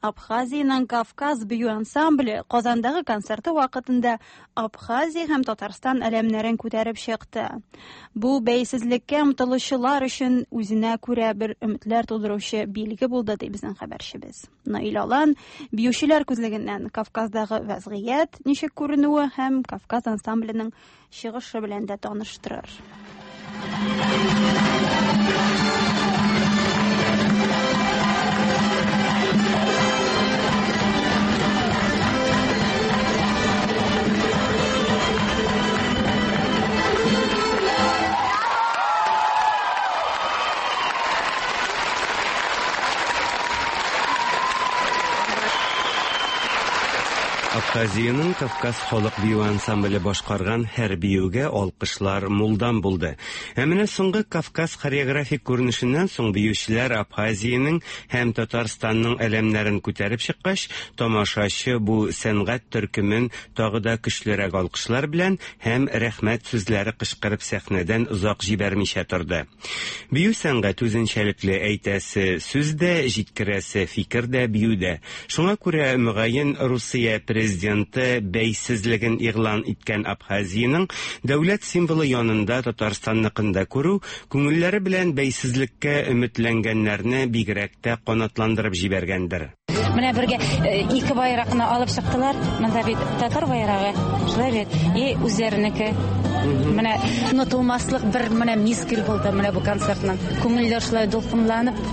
Абхазиянең Кавказ бию ансамбле Казандагы концерты вакытында Абхазия һәм Татарстан әләмнәрен күтәреп чыкты. Бу бәйсезлеккә омтылучылар өчен үзенә күрә бер өметләр тудыручы билге булды, ди безнең хәбәрчебез. Наил Алан биючеләр күзлегеннән Кавказдагы вәзгыять ничек күренүе һәм Кавказ ансамбленең чыгышы белән дә таныштырыр. Абхазиянең Кавказ халык бию ансамбле башкарган һәр биюгә алкышлар мулдан булды. Ә менә соңгы Кавказ хореографик күренешеннән соң биючеләр Абхазиянең һәм Татарстанның әләмнәрен күтәреп чыккач, тамашачы бу сәнгать төркемен тагы да көчлерәк алкышлар белән һәм рәхмәт сүзләре кычкырып сәхнәдән озак җибәрмичә торды. Бию сәнгать үзенчәлекле, әйтәсе сүз дә, җиткерәсе фикер дә биюдә. Шуңа күрә, мөгаен, Русия президенты бәйсезлеген игълан иткән Абхазиянең дәүләт символы янында Татарстанныкын да күрү, күңелләре белән бәйсезлеккә өметләнгәннәрне бигрәк тә канатландырып җибәргәндер. Менә бергә ике байракны алып чыктылар. Монда бит татар байрагы, шулай бит, и үзләренеке. Менә онытылмаслык бер менә мизгел булды менә бу концертның. Күңелләр шулай дулкынланып,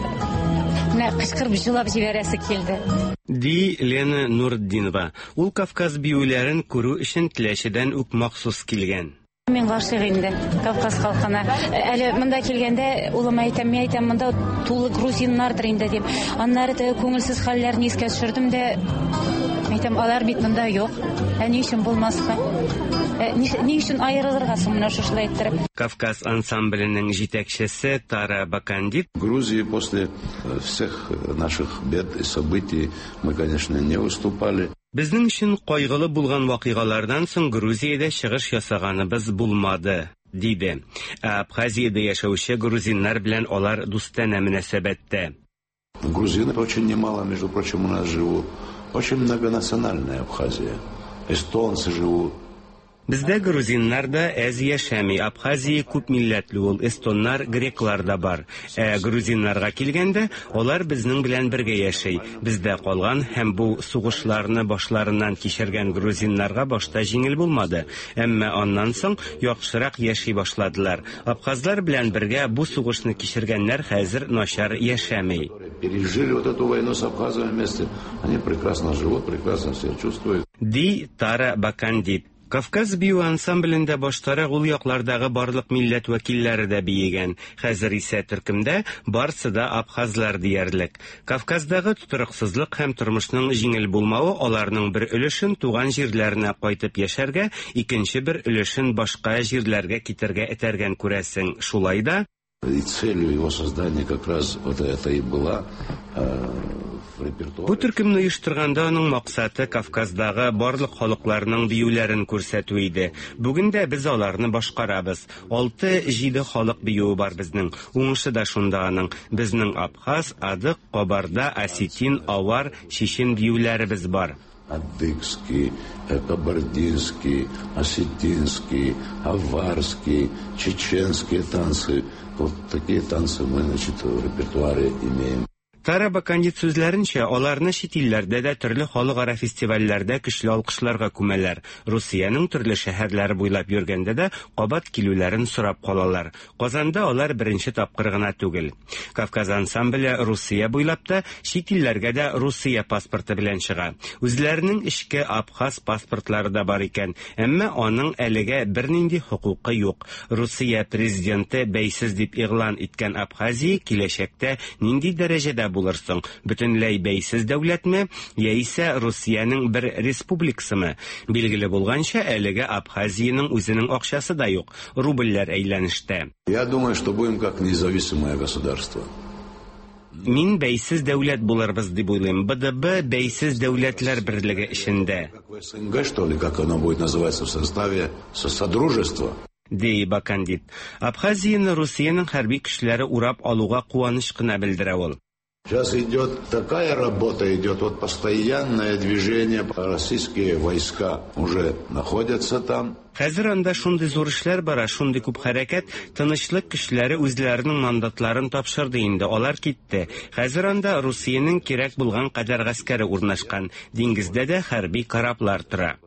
менә кычкырып җылап җибәрәсе килде. Ди Лена Нуртдинова. Ул Кавказ биюләрен күрү өчен Теләчедән үк махсус килгән. Мин гашыйк инде Кавказ халкына. Әле монда килгәндә улыма әйтәм, мин әйтәм, монда тулы грузиннардыр инде дип. Аннары теге күңелсез хәлләрне искә төшердем дә, әйтәм, алар бит монда юк. Ә ни өчен булмаска? Ни өчен аерылырга соң менә шушылай иттереп? Кавказ ансамбленең җитәкчесе Тара Бакандит. Грузии после всех наших бед и событий мы, конечно, не выступали. Безнең өчен кайгылы булган вакыйгалардан соң Грузиядә чыгыш ясаганыбыз булмады, диде. Ә Абхазиядә яшәүче грузиннар белән алар дустанә мөнәсәбәттә. Грузины очень немало, между прочим, у нас живут. Очень многонациональная Абхазия. Эстонцы живут. Бездә грузиннар да әз яшәми. Абхазия күп милләтле ул, эстоннар, греклар да бар. Ә грузиннарга килгәндә, алар безнең белән бергә яши. Бездә калган һәм бу сугышларны башларыннан кичергән грузиннарга башта җиңел булмады. Әмма аннан соң яхшырак яши башладылар. Абхазлар белән бергә бу сугышны кичергәннәр хәзер начар яшәми. Пережили вот эту войну с абхазами вместе, они прекрасно живут, прекрасно себя чувствуют. Ди Тара Бакандит. Кавказ бию ансамблендә баштарак ул яклардагы барлык милләт вәкилләре дә биегән. Хәзер исә төркемдә барсы да абхазлар диярлек. Кавказдагы тотрыксызлык һәм тормышның җиңел булмавы аларның бер өлешен туган җирләренә кайтып яшәргә, икенче бер өлешен башка җирләргә китәргә этәргән, күрәсең. Шулай да, И целью его создания как раз вот это и была в репертуаре. Бу төркемне оештырганда аның максаты Кавказдагы барлык халыкларның биюләрен күрсәтү иде. Бүген дә без аларны башкарабыз. Алты-җиде халык биюе бар безнең. Уңышы да шунда аның. Безнең абхаз, адык, кабарда, осетин, авар, чечен биюләребез бар. Адыгский, кабардинский, осетинский, аварский, чеченские танцы. Вот такие танцы мы, значит, в репертуаре имеем. Тара Бакандит сүзләренчә, аларны чит илләрдә дә төрле халыкара фестивальләрдә көчле алкышларга күмәләр. Русиянең төрле шәһәрләре буйлап йөргәндә дә кабат килүләрен сорап калалар. Казанда алар беренче тапкыр гына түгел. Кавказ ансамбле Русия буйлап та, чит илләргә дә Русия паспорты белән чыга. Үзләренең эчке абхаз паспортлары да бар икән, әмма аның әлегә бернинди хокукы юк. Русия президенты бәйсез дип игълан иткән Абхазия киләчәктә нинди дәрәҗәдә булыр соң? Бөтенләй бәйсез дәүләтме, яисә Русиянең бер республикасымы? Билгеле булганча, әлегә Абхазиянең үзенең акчасы да юк, рубльләр әйләнештә. Я думаю, что будем как независимое государство. Мин бәйсез дәүләт булырбыз дип уйлыйм. БДБ бәйсез дәүләтләр берлеге эчендә. Как СНГ, что ли, как оно будет называться в составе содружества. Ди Бакандит. Абхазияне Русиянең хәрби көчләре урап алуга куаныч кына белдерә ул. Сейчас идет такая работа, идет вот постоянное движение. Российские войска уже находятся там. Хәзер анда шундый зур эшләр бара, шундый күп хәрәкәт, тынычлык көчләре үзләренең мандатларын тапшырды инде, алар китте. Хәзер анда Русиянең кирәк булган кадәр гаскәре урнашкан, диңгездә дә хәрби кораблар тора.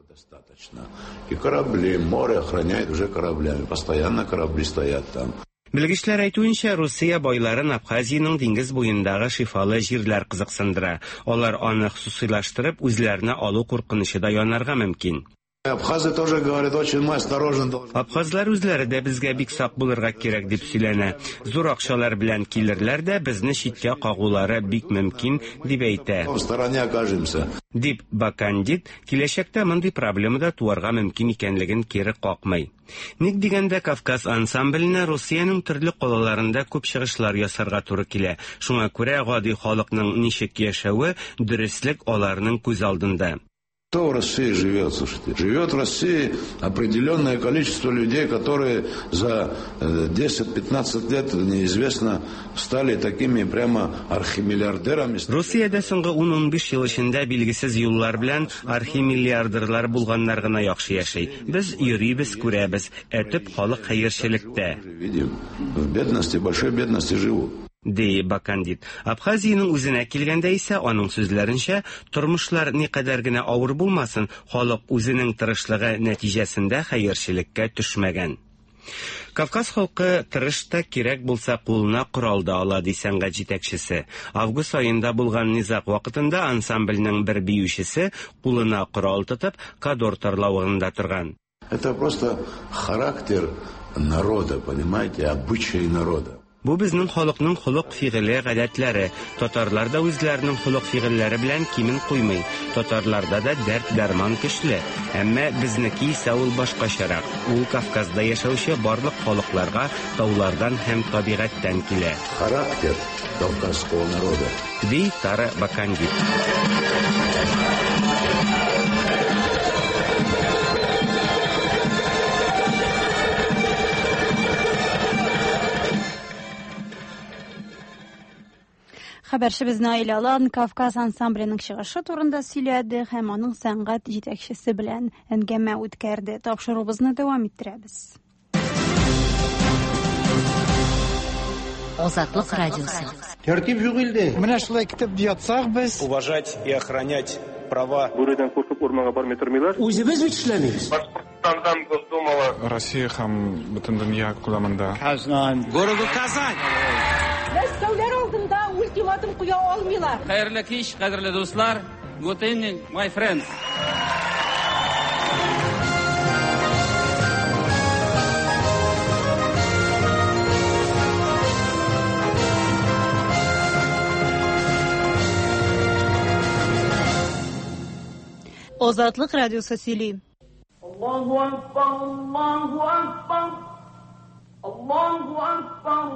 И корабли, море охраняет уже кораблями, постоянно корабли стоят там. Белгечләр әйтүенчә, Русия байларын Абхазиянең диңгез буендагы шифалы җирләр кызыксындыра. Алар аны хосусыйлаштырып, үзләренә алу куркынычы да янарга мөмкин. Абхазы тоже говорят, очень мы осторожно должны. Абхазлар үзләре дә безгә бик сак булырга кирәк дип сөйләнә. Зур акчалар белән килерләр дә безне читкә кагулары бик мөмкин, дип әйтә. В стороне окажемся. Дип Бакандит киләчәктә мондый проблема да туарга мөмкин икәнлеген кире какмый. Ник дигәндә, Кавказ ансамбленә Русиянең төрле калаларында күп чыгышлар ясарга туры килә. Шуңа күрә гади халыкның ничек яшәве, дөреслек аларның күз алдында. Кто в России живет, слушайте? Живет в России определенное количество людей, которые за 10-15 лет, неизвестно, стали такими прямо архимиллиардерами. Русиядә соңгы 10-15 ел эчендә билгесез юллар белән архимиллиардерлар булганнар гына яхшы яши. Без йөрибез, күрәбез, ә төп халык хәерчелектә. Видим, в бедности, большой бедности живут. Ди Бакандит. Абхазиянең үзенә килгәндә исә, аның сүзләренчә, тормышлар никадәр генә авыр булмасын, халык үзенең тырышлыгы нәтиҗәсендә хәерчелеккә төшмәгән. Кавказ халкы тырыш та, кирәк булса кулына корал да ала, ди сәнгать җитәкчесе. Август аенда булган низаг вакытында ансамбльнең бер биючесе кулына корал тотып, Кадор тарлавыгында торган. Это просто характер народа, понимаете, обычаи народа. Бу безнең халыкның холык-фигыле, гадәтләре. Татарлар да үзләренең холык-фигыльләре белән кимен куймый. Татарларда да дәрт-дәрман көчле. Әмма безнеке исә ул башкачарак. Ул Кавказда яшәүче барлык халыкларга таулардан һәм табигатьтән килә. Характер кавказского народа. Ди Тара Бакандит. Хәбәрчебез Наил Алан Кавказ ансамбленең чыгышы турында сөйләде һәм аның сәнгать җитәкчесе белән әңгәмә үткәрде. Тапшыруыбызны дәвам иттерәбез. Азатлык радиосы. Тәртип юк илдә. Менә шулай китеп ятсак без. Уважать и охранять права. Бүредән куркып урманга бармый тормыйлар. Үзебез бит эшләмибез. Башкортстандан Госдумала. Россия һәм бөтен дөнья күләмендә. Казан. Городу Казань. Мәскәүләр алдында ультиматум куя алмыйлар. Хәерле кич, кадерле дуслар. Good evening, my friends. Азатлык радиосы сөйли. Аллаһу акбар, Аллаһу акбар. Аллаһу акбар,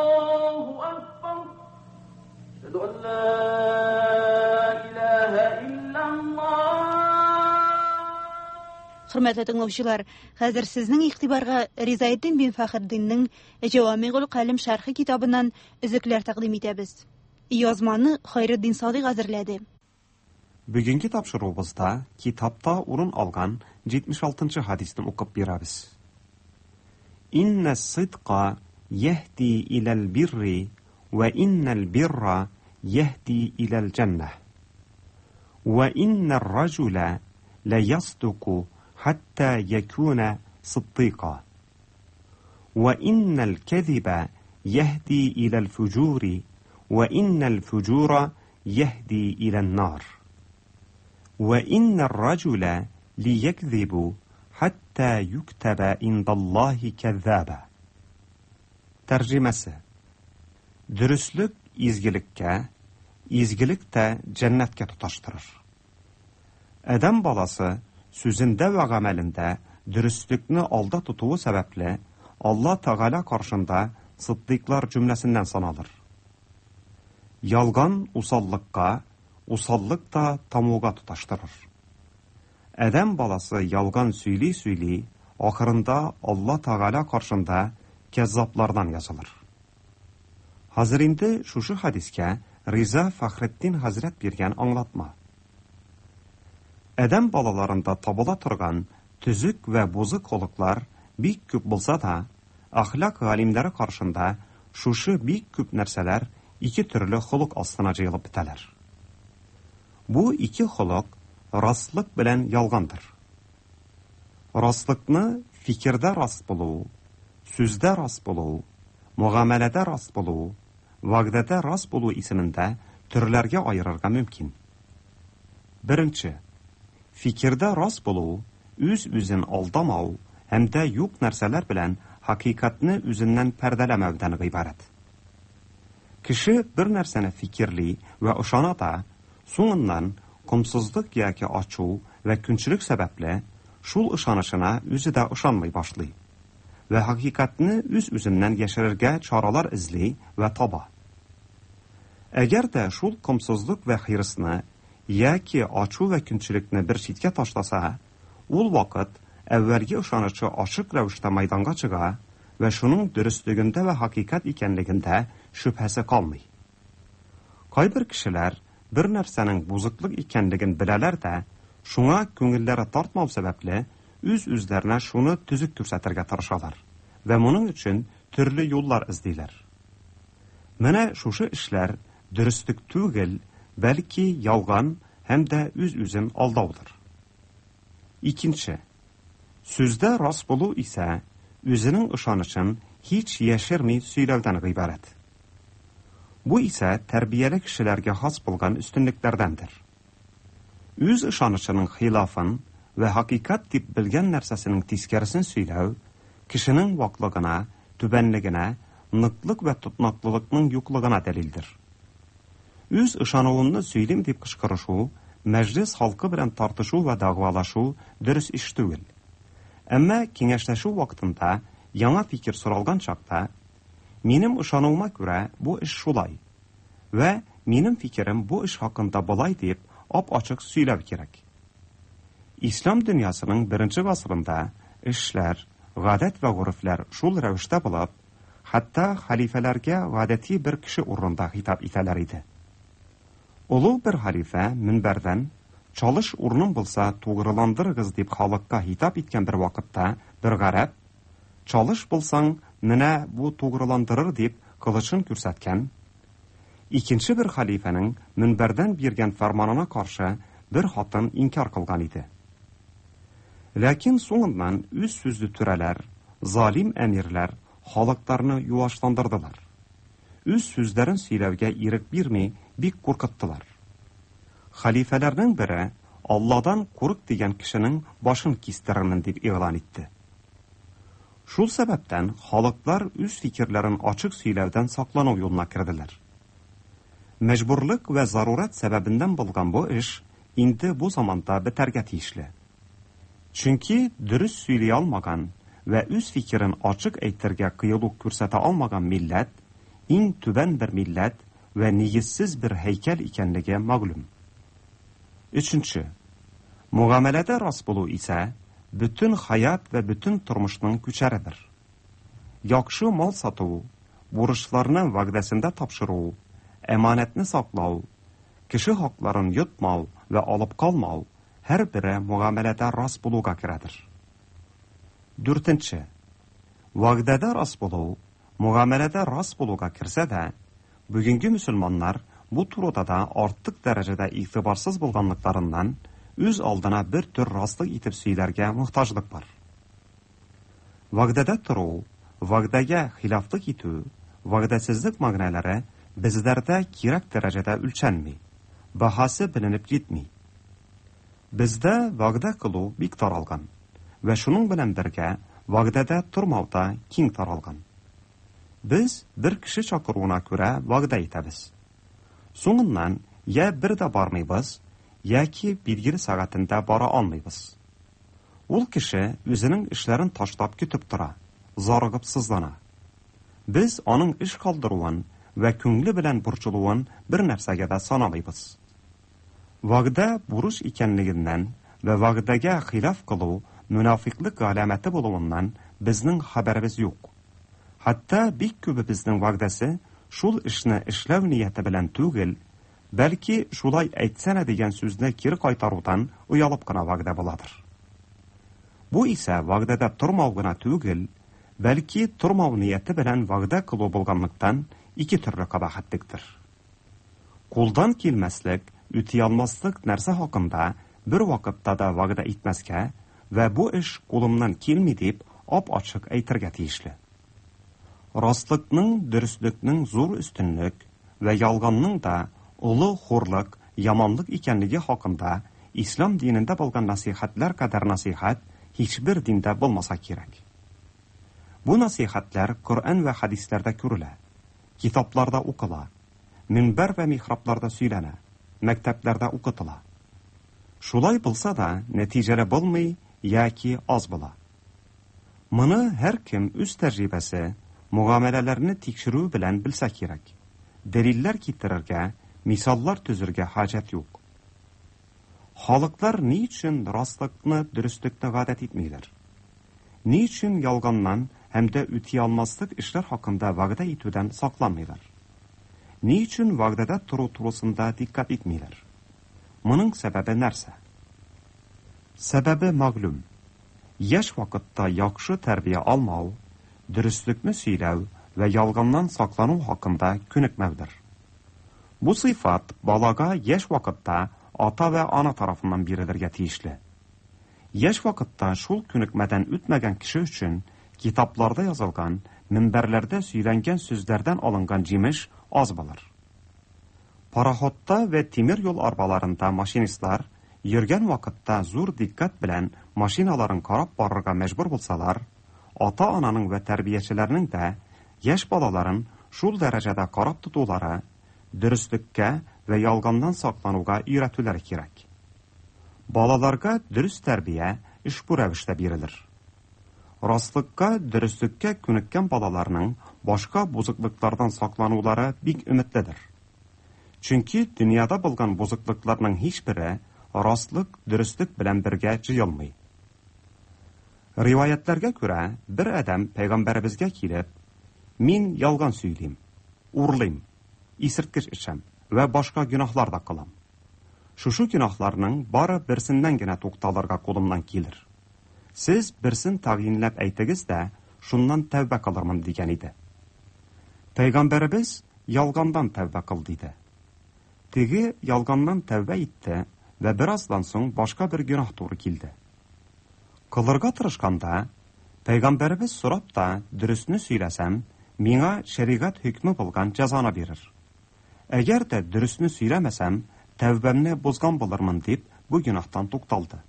Аллаһу акбар. Әшһәду ан ла илаһа иллаллаһ. Хөрмәтле тыңлаучылар, хәзер сезнең игътибарга Ризаэддин бин Фәхретдиннең Җавамигул Калим шәрхе китабыннан өзекләр тәкъдим итәбез. Язманы Хайретдин Садыйк әзерләде. Бүгенге тапшыруыбызда китапта урын алган 76 нчы хадисне укып бирәбез. Иннә сыдка яһди иләл бирри вә иннәл бирра яһди иләл җәннәһ. Вә иннәр раҗүлә лә ясдуку хәтта якүнә сыддыйка. Вә иннәл кәзибә яһди иләл фуҗури вә иннәл фуҗура яһди илән нар. Вә иннәр раҗүлә лиякзибу хәтта юктәбә индаллаһи кәззаба. Тәрҗемәсе. Дөреслек изгелеккә, изгелек тә җәннәткә тоташтырыр. Адәм баласы сүзендә вә гамәлендә дөреслекне алда тотуы сәбәпле, Алла Тәгалә каршында сыддыйклар җөмләсеннән саналыр. Ялган усаллыкка, усаллык та тамуга тоташтырыр. Адәм баласы ялган сөйли-сөйли, ахырында Алла Тәгалә каршында кәззаблардан язылыр. Хәзер инде шушы хәдискә Риза Фәхретдин хәзрәт биргән аңлатма. Адәм балаларында табыла торган төзек вә бозык холыклар бик күп булса да, әхлак галимнәре каршында шушы бик күп нәрсәләр ике төрле холык астына җыелып бетәләр. Бу ике холык раслык белән ялгандыр. Раслыкны фикердә рас булу, сүздә рас булу, мөгамәләдә рас булу, вәгъдәдә рас булу исемендә төрләргә аерырга мөмкин. Беренче, фикердә рас булу, үз-үзен алдамау һәм дә юк нәрсәләр белән хакыйкатьне үзеннән пәрдәләмәүдән гыйбарәт. Кеше бер нәрсәне фикерли вә ышана да, соңыннан комсызлык яки ачу вә көнчелек сәбәпле, шул ышанычына үзе дә ышанмый башлый вә хакыйкатьне үз-үзеннән яшерергә чаралар эзли вә таба. Әгәр дә шул комсызлык вә хирысны яки ачу вә көнчелекне бер читкә ташласа, ул вакыт әүвәлге ышанычы ачык рәвештә мәйданга чыга вә шуның дөреслегендә вә хакыйкать икәнлегендә шөбһәсе калмый. Кайбер кешеләр бер нәрсәнең бозыклык икәнлеген беләләр дә, шуңа күңелләре тартмау сәбәпле, үз-үзләренә шуны төзек күрсәтергә тырышалар вә моның өчен төрле юллар эзлиләр. Менә шушы эшләр дөреслек түгел, бәлки ялган һәм дә үз-үзен алдаудыр. Икенче, сүздә рас булу исә үзенең ышанычын һич яшерми сөйләүдән гыйбарәт. Бу исә тәрбияле кешеләргә хас булган өстенлекләрдәндер. Үз ышанычының хилафын вә хакыйкать дип белгән нәрсәсенең тискәресен сөйләү кешенең ваклыгына, түбәнлегенә, ныклык вә тотнаклылыкның юклыгына дәлилдер. Үз ышануымны сөйлим дип кычкырышу, мәҗлес халкы белән тартышу вә дәгъвалашу дөрес эш түгел. Әмма киңәшләшү вакытында яңа фикер соралган чакта, Минем ышануыма күрә, бу эш шулай. Вә минем фикерем бу эш хакында болай дип, ап-ачык сөйләү кирәк. Ислам дөньясының беренче гасырында эшләр, гадәт вә горефләр шул рәвештә булып, хәтта хәлифәләргә гадәти бер кеше урынында хитап итәләр иде. Олуг бер хәлифә мөнбәрдән, Чалыш урыным булса, тугрыландырыгыз дип халыкка хитап иткән бер вакытта бер гарәп, Чалыш булсаң, менә бу тугрыландырыр дип кылычын күрсәткән. Икенче бер хәлифәнең мөнбәрдән биргән фәрманына каршы бер хатын инкяр кылган иде. Ләкин соңыннан үз сүзле түрәләр, залим әмирләр халыкларны юашландырдылар. Үз сүзләрен сөйләүгә ирек бирми, бик куркыттылар. Хәлифәләрнең бере Алладан курык дигән кешенең башын кистерермен дип игълан итте. Шул сәбәптән халыклар үз фикерләрен ачык сөйләүдән саклану юлына керделәр. Мәҗбүрлек вә зарурәт сәбәбеннән булган бу эш инде бу заманда бетәргә тиешле. Чөнки дөрес сөйли алмаган вә үз фикерен ачык әйтергә кыюлык күрсәтә алмаган милләт, иң түбән бер милләт вә нигезсез бер һәйкәл икәнлеге мәгълүм. Өченче. Мөгамәләдә рас булу исә бөтен хаят вә бөтен тормышның күчәредер. Яхшы мал сату, бурычларны вәгъдәсендә тапшыру, әманәтне саклау, кеше хакларын йотмау вә алып калмау һәрбере мөгамәләдә рас булуга керәдер. Дүртенче. Вәгъдәдә рас булу, мөгамәләдә рас булуга керсә дә, бүгенге мөселманнар бу турыда да артык дәрәҗәдә игътибарсыз булганлыкларыннан, үз алдына бер төр раслык итеп сөйләргә мохтаҗлык бар. Вәгъдәдә тору, вәгъдәгә хилафлык итү, вәгъдәсезлек мәгънәләре безләрдә кирәк дәрәҗәдә үлчәнми, баһасы беленеп җитми. Бездә вәгъдә кылу бик таралган вә шуның белән бергә вәгъдәдә тормау да киң таралган. Без бер кеше чакыруына күрә вәгъдә итәбез. Соңыннан я бер дә бармыйбыз, яки билгеле сәгатендә бара алмыйбыз. Ул кеше үзенең эшләрен ташлап көтеп тора, зарыгып сызлана. Без аның эш калдыруын вә күңле белән борчылуын бер нәрсәгә дә санамыйбыз. Вәгъдә бурыч икәнлегеннән вә вәгъдәгә хилаф кылу мөнафикълык галәмәте булуыннан безнең хәбәребез юк. Хәтта бик күбебезнең вәгъдәсе шул эшне эшләү нияте белән түгел, бәлки шулай әйтсәнә дигән сүзне кире кайтарудан оялып кына вәгъдә буладыр. Бу исә вәгъдәдә тормау гына түгел, бәлки тормау нияте белән вәгъдә кылу булганлыктан ике төрле кабахәтлектер. Кулдан килмәслек, үти алмаслык нәрсә хакында бер вакытта да вәгъдә итмәскә вә бу эш кулымнан килми дип ап-ачык әйтергә тиешле. Раслыкның, дөреслекнең зур өстенлек вә ялганның да олы хурлык, яманлык икәнлеге хакында ислам динендә булган насыйхәтләр кадәр насыйхәт һичбер диндә булмаса кирәк. Бу насыйхәтләр Коръән вә хәдисләрдә күрелә, китапларда укыла, минбәр вә михрабларда сөйләнә, мәктәпләрдә укытыла. Шулай булса да, нәтиҗәле булмый яки аз була. Моны һәркем үз тәҗрибәсе, мөгамәләләрне тикшерү белән белсә кирәк. Дәлилләр китерергә, мисаллар төзергә хаҗәт юк. Халыклар ни өчен раслыкны, дөреслекне гадәт итмиләр? Ни өчен ялганнан һәм дә үти алмаслык эшләр хакында вәгъдә итүдән сакланмыйлар? Ни өчен вәгъдәдә тору турысында дикъкать итмиләр? Моның сәбәбе нәрсә? Сәбәбе мәгълүм. Яшь вакытта яхшы тәрбия алмау, дөреслекне сөйләү вә ялганнан саклану хакында күнекмәүдер. Бу сыйфат балага яшь вакытта ата вә ана тарафыннан бирелергә тиешле. Яшь вакытта шул күнекмәдән үтмәгән кеше өчен китапларда язылган, минбәрләрдә сөйләнгән сүзләрдән алынган җимеш аз булыр. Пароходта вә тимер юл арбаларында машинистлар йөргән вакытта зур дикъкать белән машиналарын карап барырга мәҗбүр булсалар, ата-ананың вә тәрбиячеләрнең дә яшь балаларын шул дәрәҗәдә карап тотулары, дөреслеккә вә ялганнан саклануга өйрәтүләре кирәк. Балаларга дөрес тәрбия ошбу рәвештә бирелер. Раслыкка, дөреслеккә күнеккән балаларның башка бозыклыклардан сакланулары бик өметледер. Чөнки дөньяда булган бозыклыкларның һичбере раслык, дөреслек белән бергә җыелмый. Риваятләргә күрә, бер адәм пәйгамбәребезгә килеп, "Мин ялган сөйлим, урлыйм, исерткеч эчәм вә башка гөнаһлар да кылам. Шушы гөнаһларның бары берсеннән генә тукталырга кулымнан килер. Сез берсен тәгъйинләп әйтегез дә, шуннан тәүбә кылырмын", дигән иде. Пәйгамбәребез ялгандан тәүбә кыл диде. Теге ялганнан тәүбә итте вә бераздан соң башка бер гөнаһ туры килде. Кылырга тырышканда, пәйгамбәребез сорап та, дөресне сөйләсәм, миңа шәригать хөкме булган җәзаны бирер. Әгәр дә дөресне сөйләмәсәм, тәүбәмне бозган булырмын дип, бу гөнаһтан тукталды.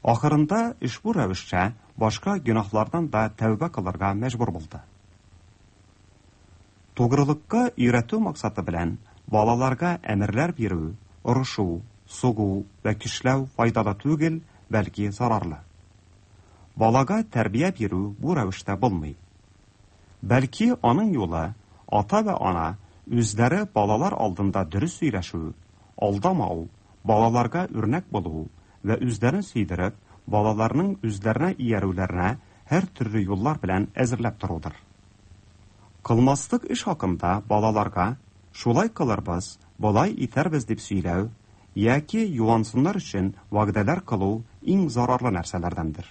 Ахырында ошбу рәвешчә башка гөнаһлардан да тәүбә кылырга мәҗбүр булды. Тугрылыкка өйрәтү максаты белән балаларга әмерләр бирү, орышу, сугу вә көчләү файдалы түгел, бәлки зарарлы. Балага тәрбия бирү бу рәвештә булмый. Бәлки аның юлы ата вә ана үзләре балалар алдында дөрес сөйләшү, алдамау, балаларга үрнәк булу вә үзләрен сөйдереп, балаларның үзләренә иярүләренә һәр төрле юллар белән әзерләп торудыр. Кылмаслык эш хакында балаларга шулай кылырбыз, болай итәрбез дип сөйләү яки юансыннар өчен вәгъдәләр кылу иң зарарлы нәрсәләрдәндер.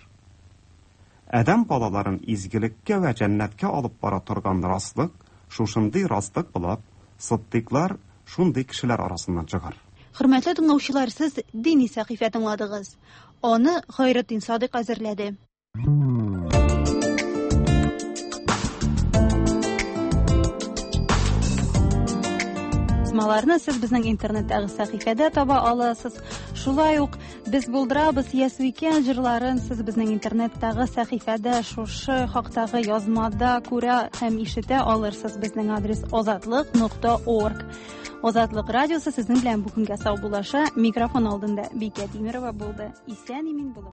Адәм балаларын изгелеккә вә җәннәткә алып бара торган раслык шушындый раслык булып, сыддыйклар шундый кешеләр арасыннан чыгар. Хөрмәтле тыңлаучылар, сез дини сәхифә тыңладыгыз. Аны Хайретдин Садыйк әзерләде. Язмаларны сез безнең интернеттагы сәхифәдә таба аласыз. Шулай ук Без булдырабыз Ясвикән җырларын сез безнең интернеттагы сәхифәдә шушы хактагы язмада күрә һәм ишетә алырсыз. Безнең адрес азатлык.орг. Азатлык радиосы сезнең белән бу көнгә саубуллаша. Микрофон алдында Бикә Тимерова булды. Исән имин булыгыз.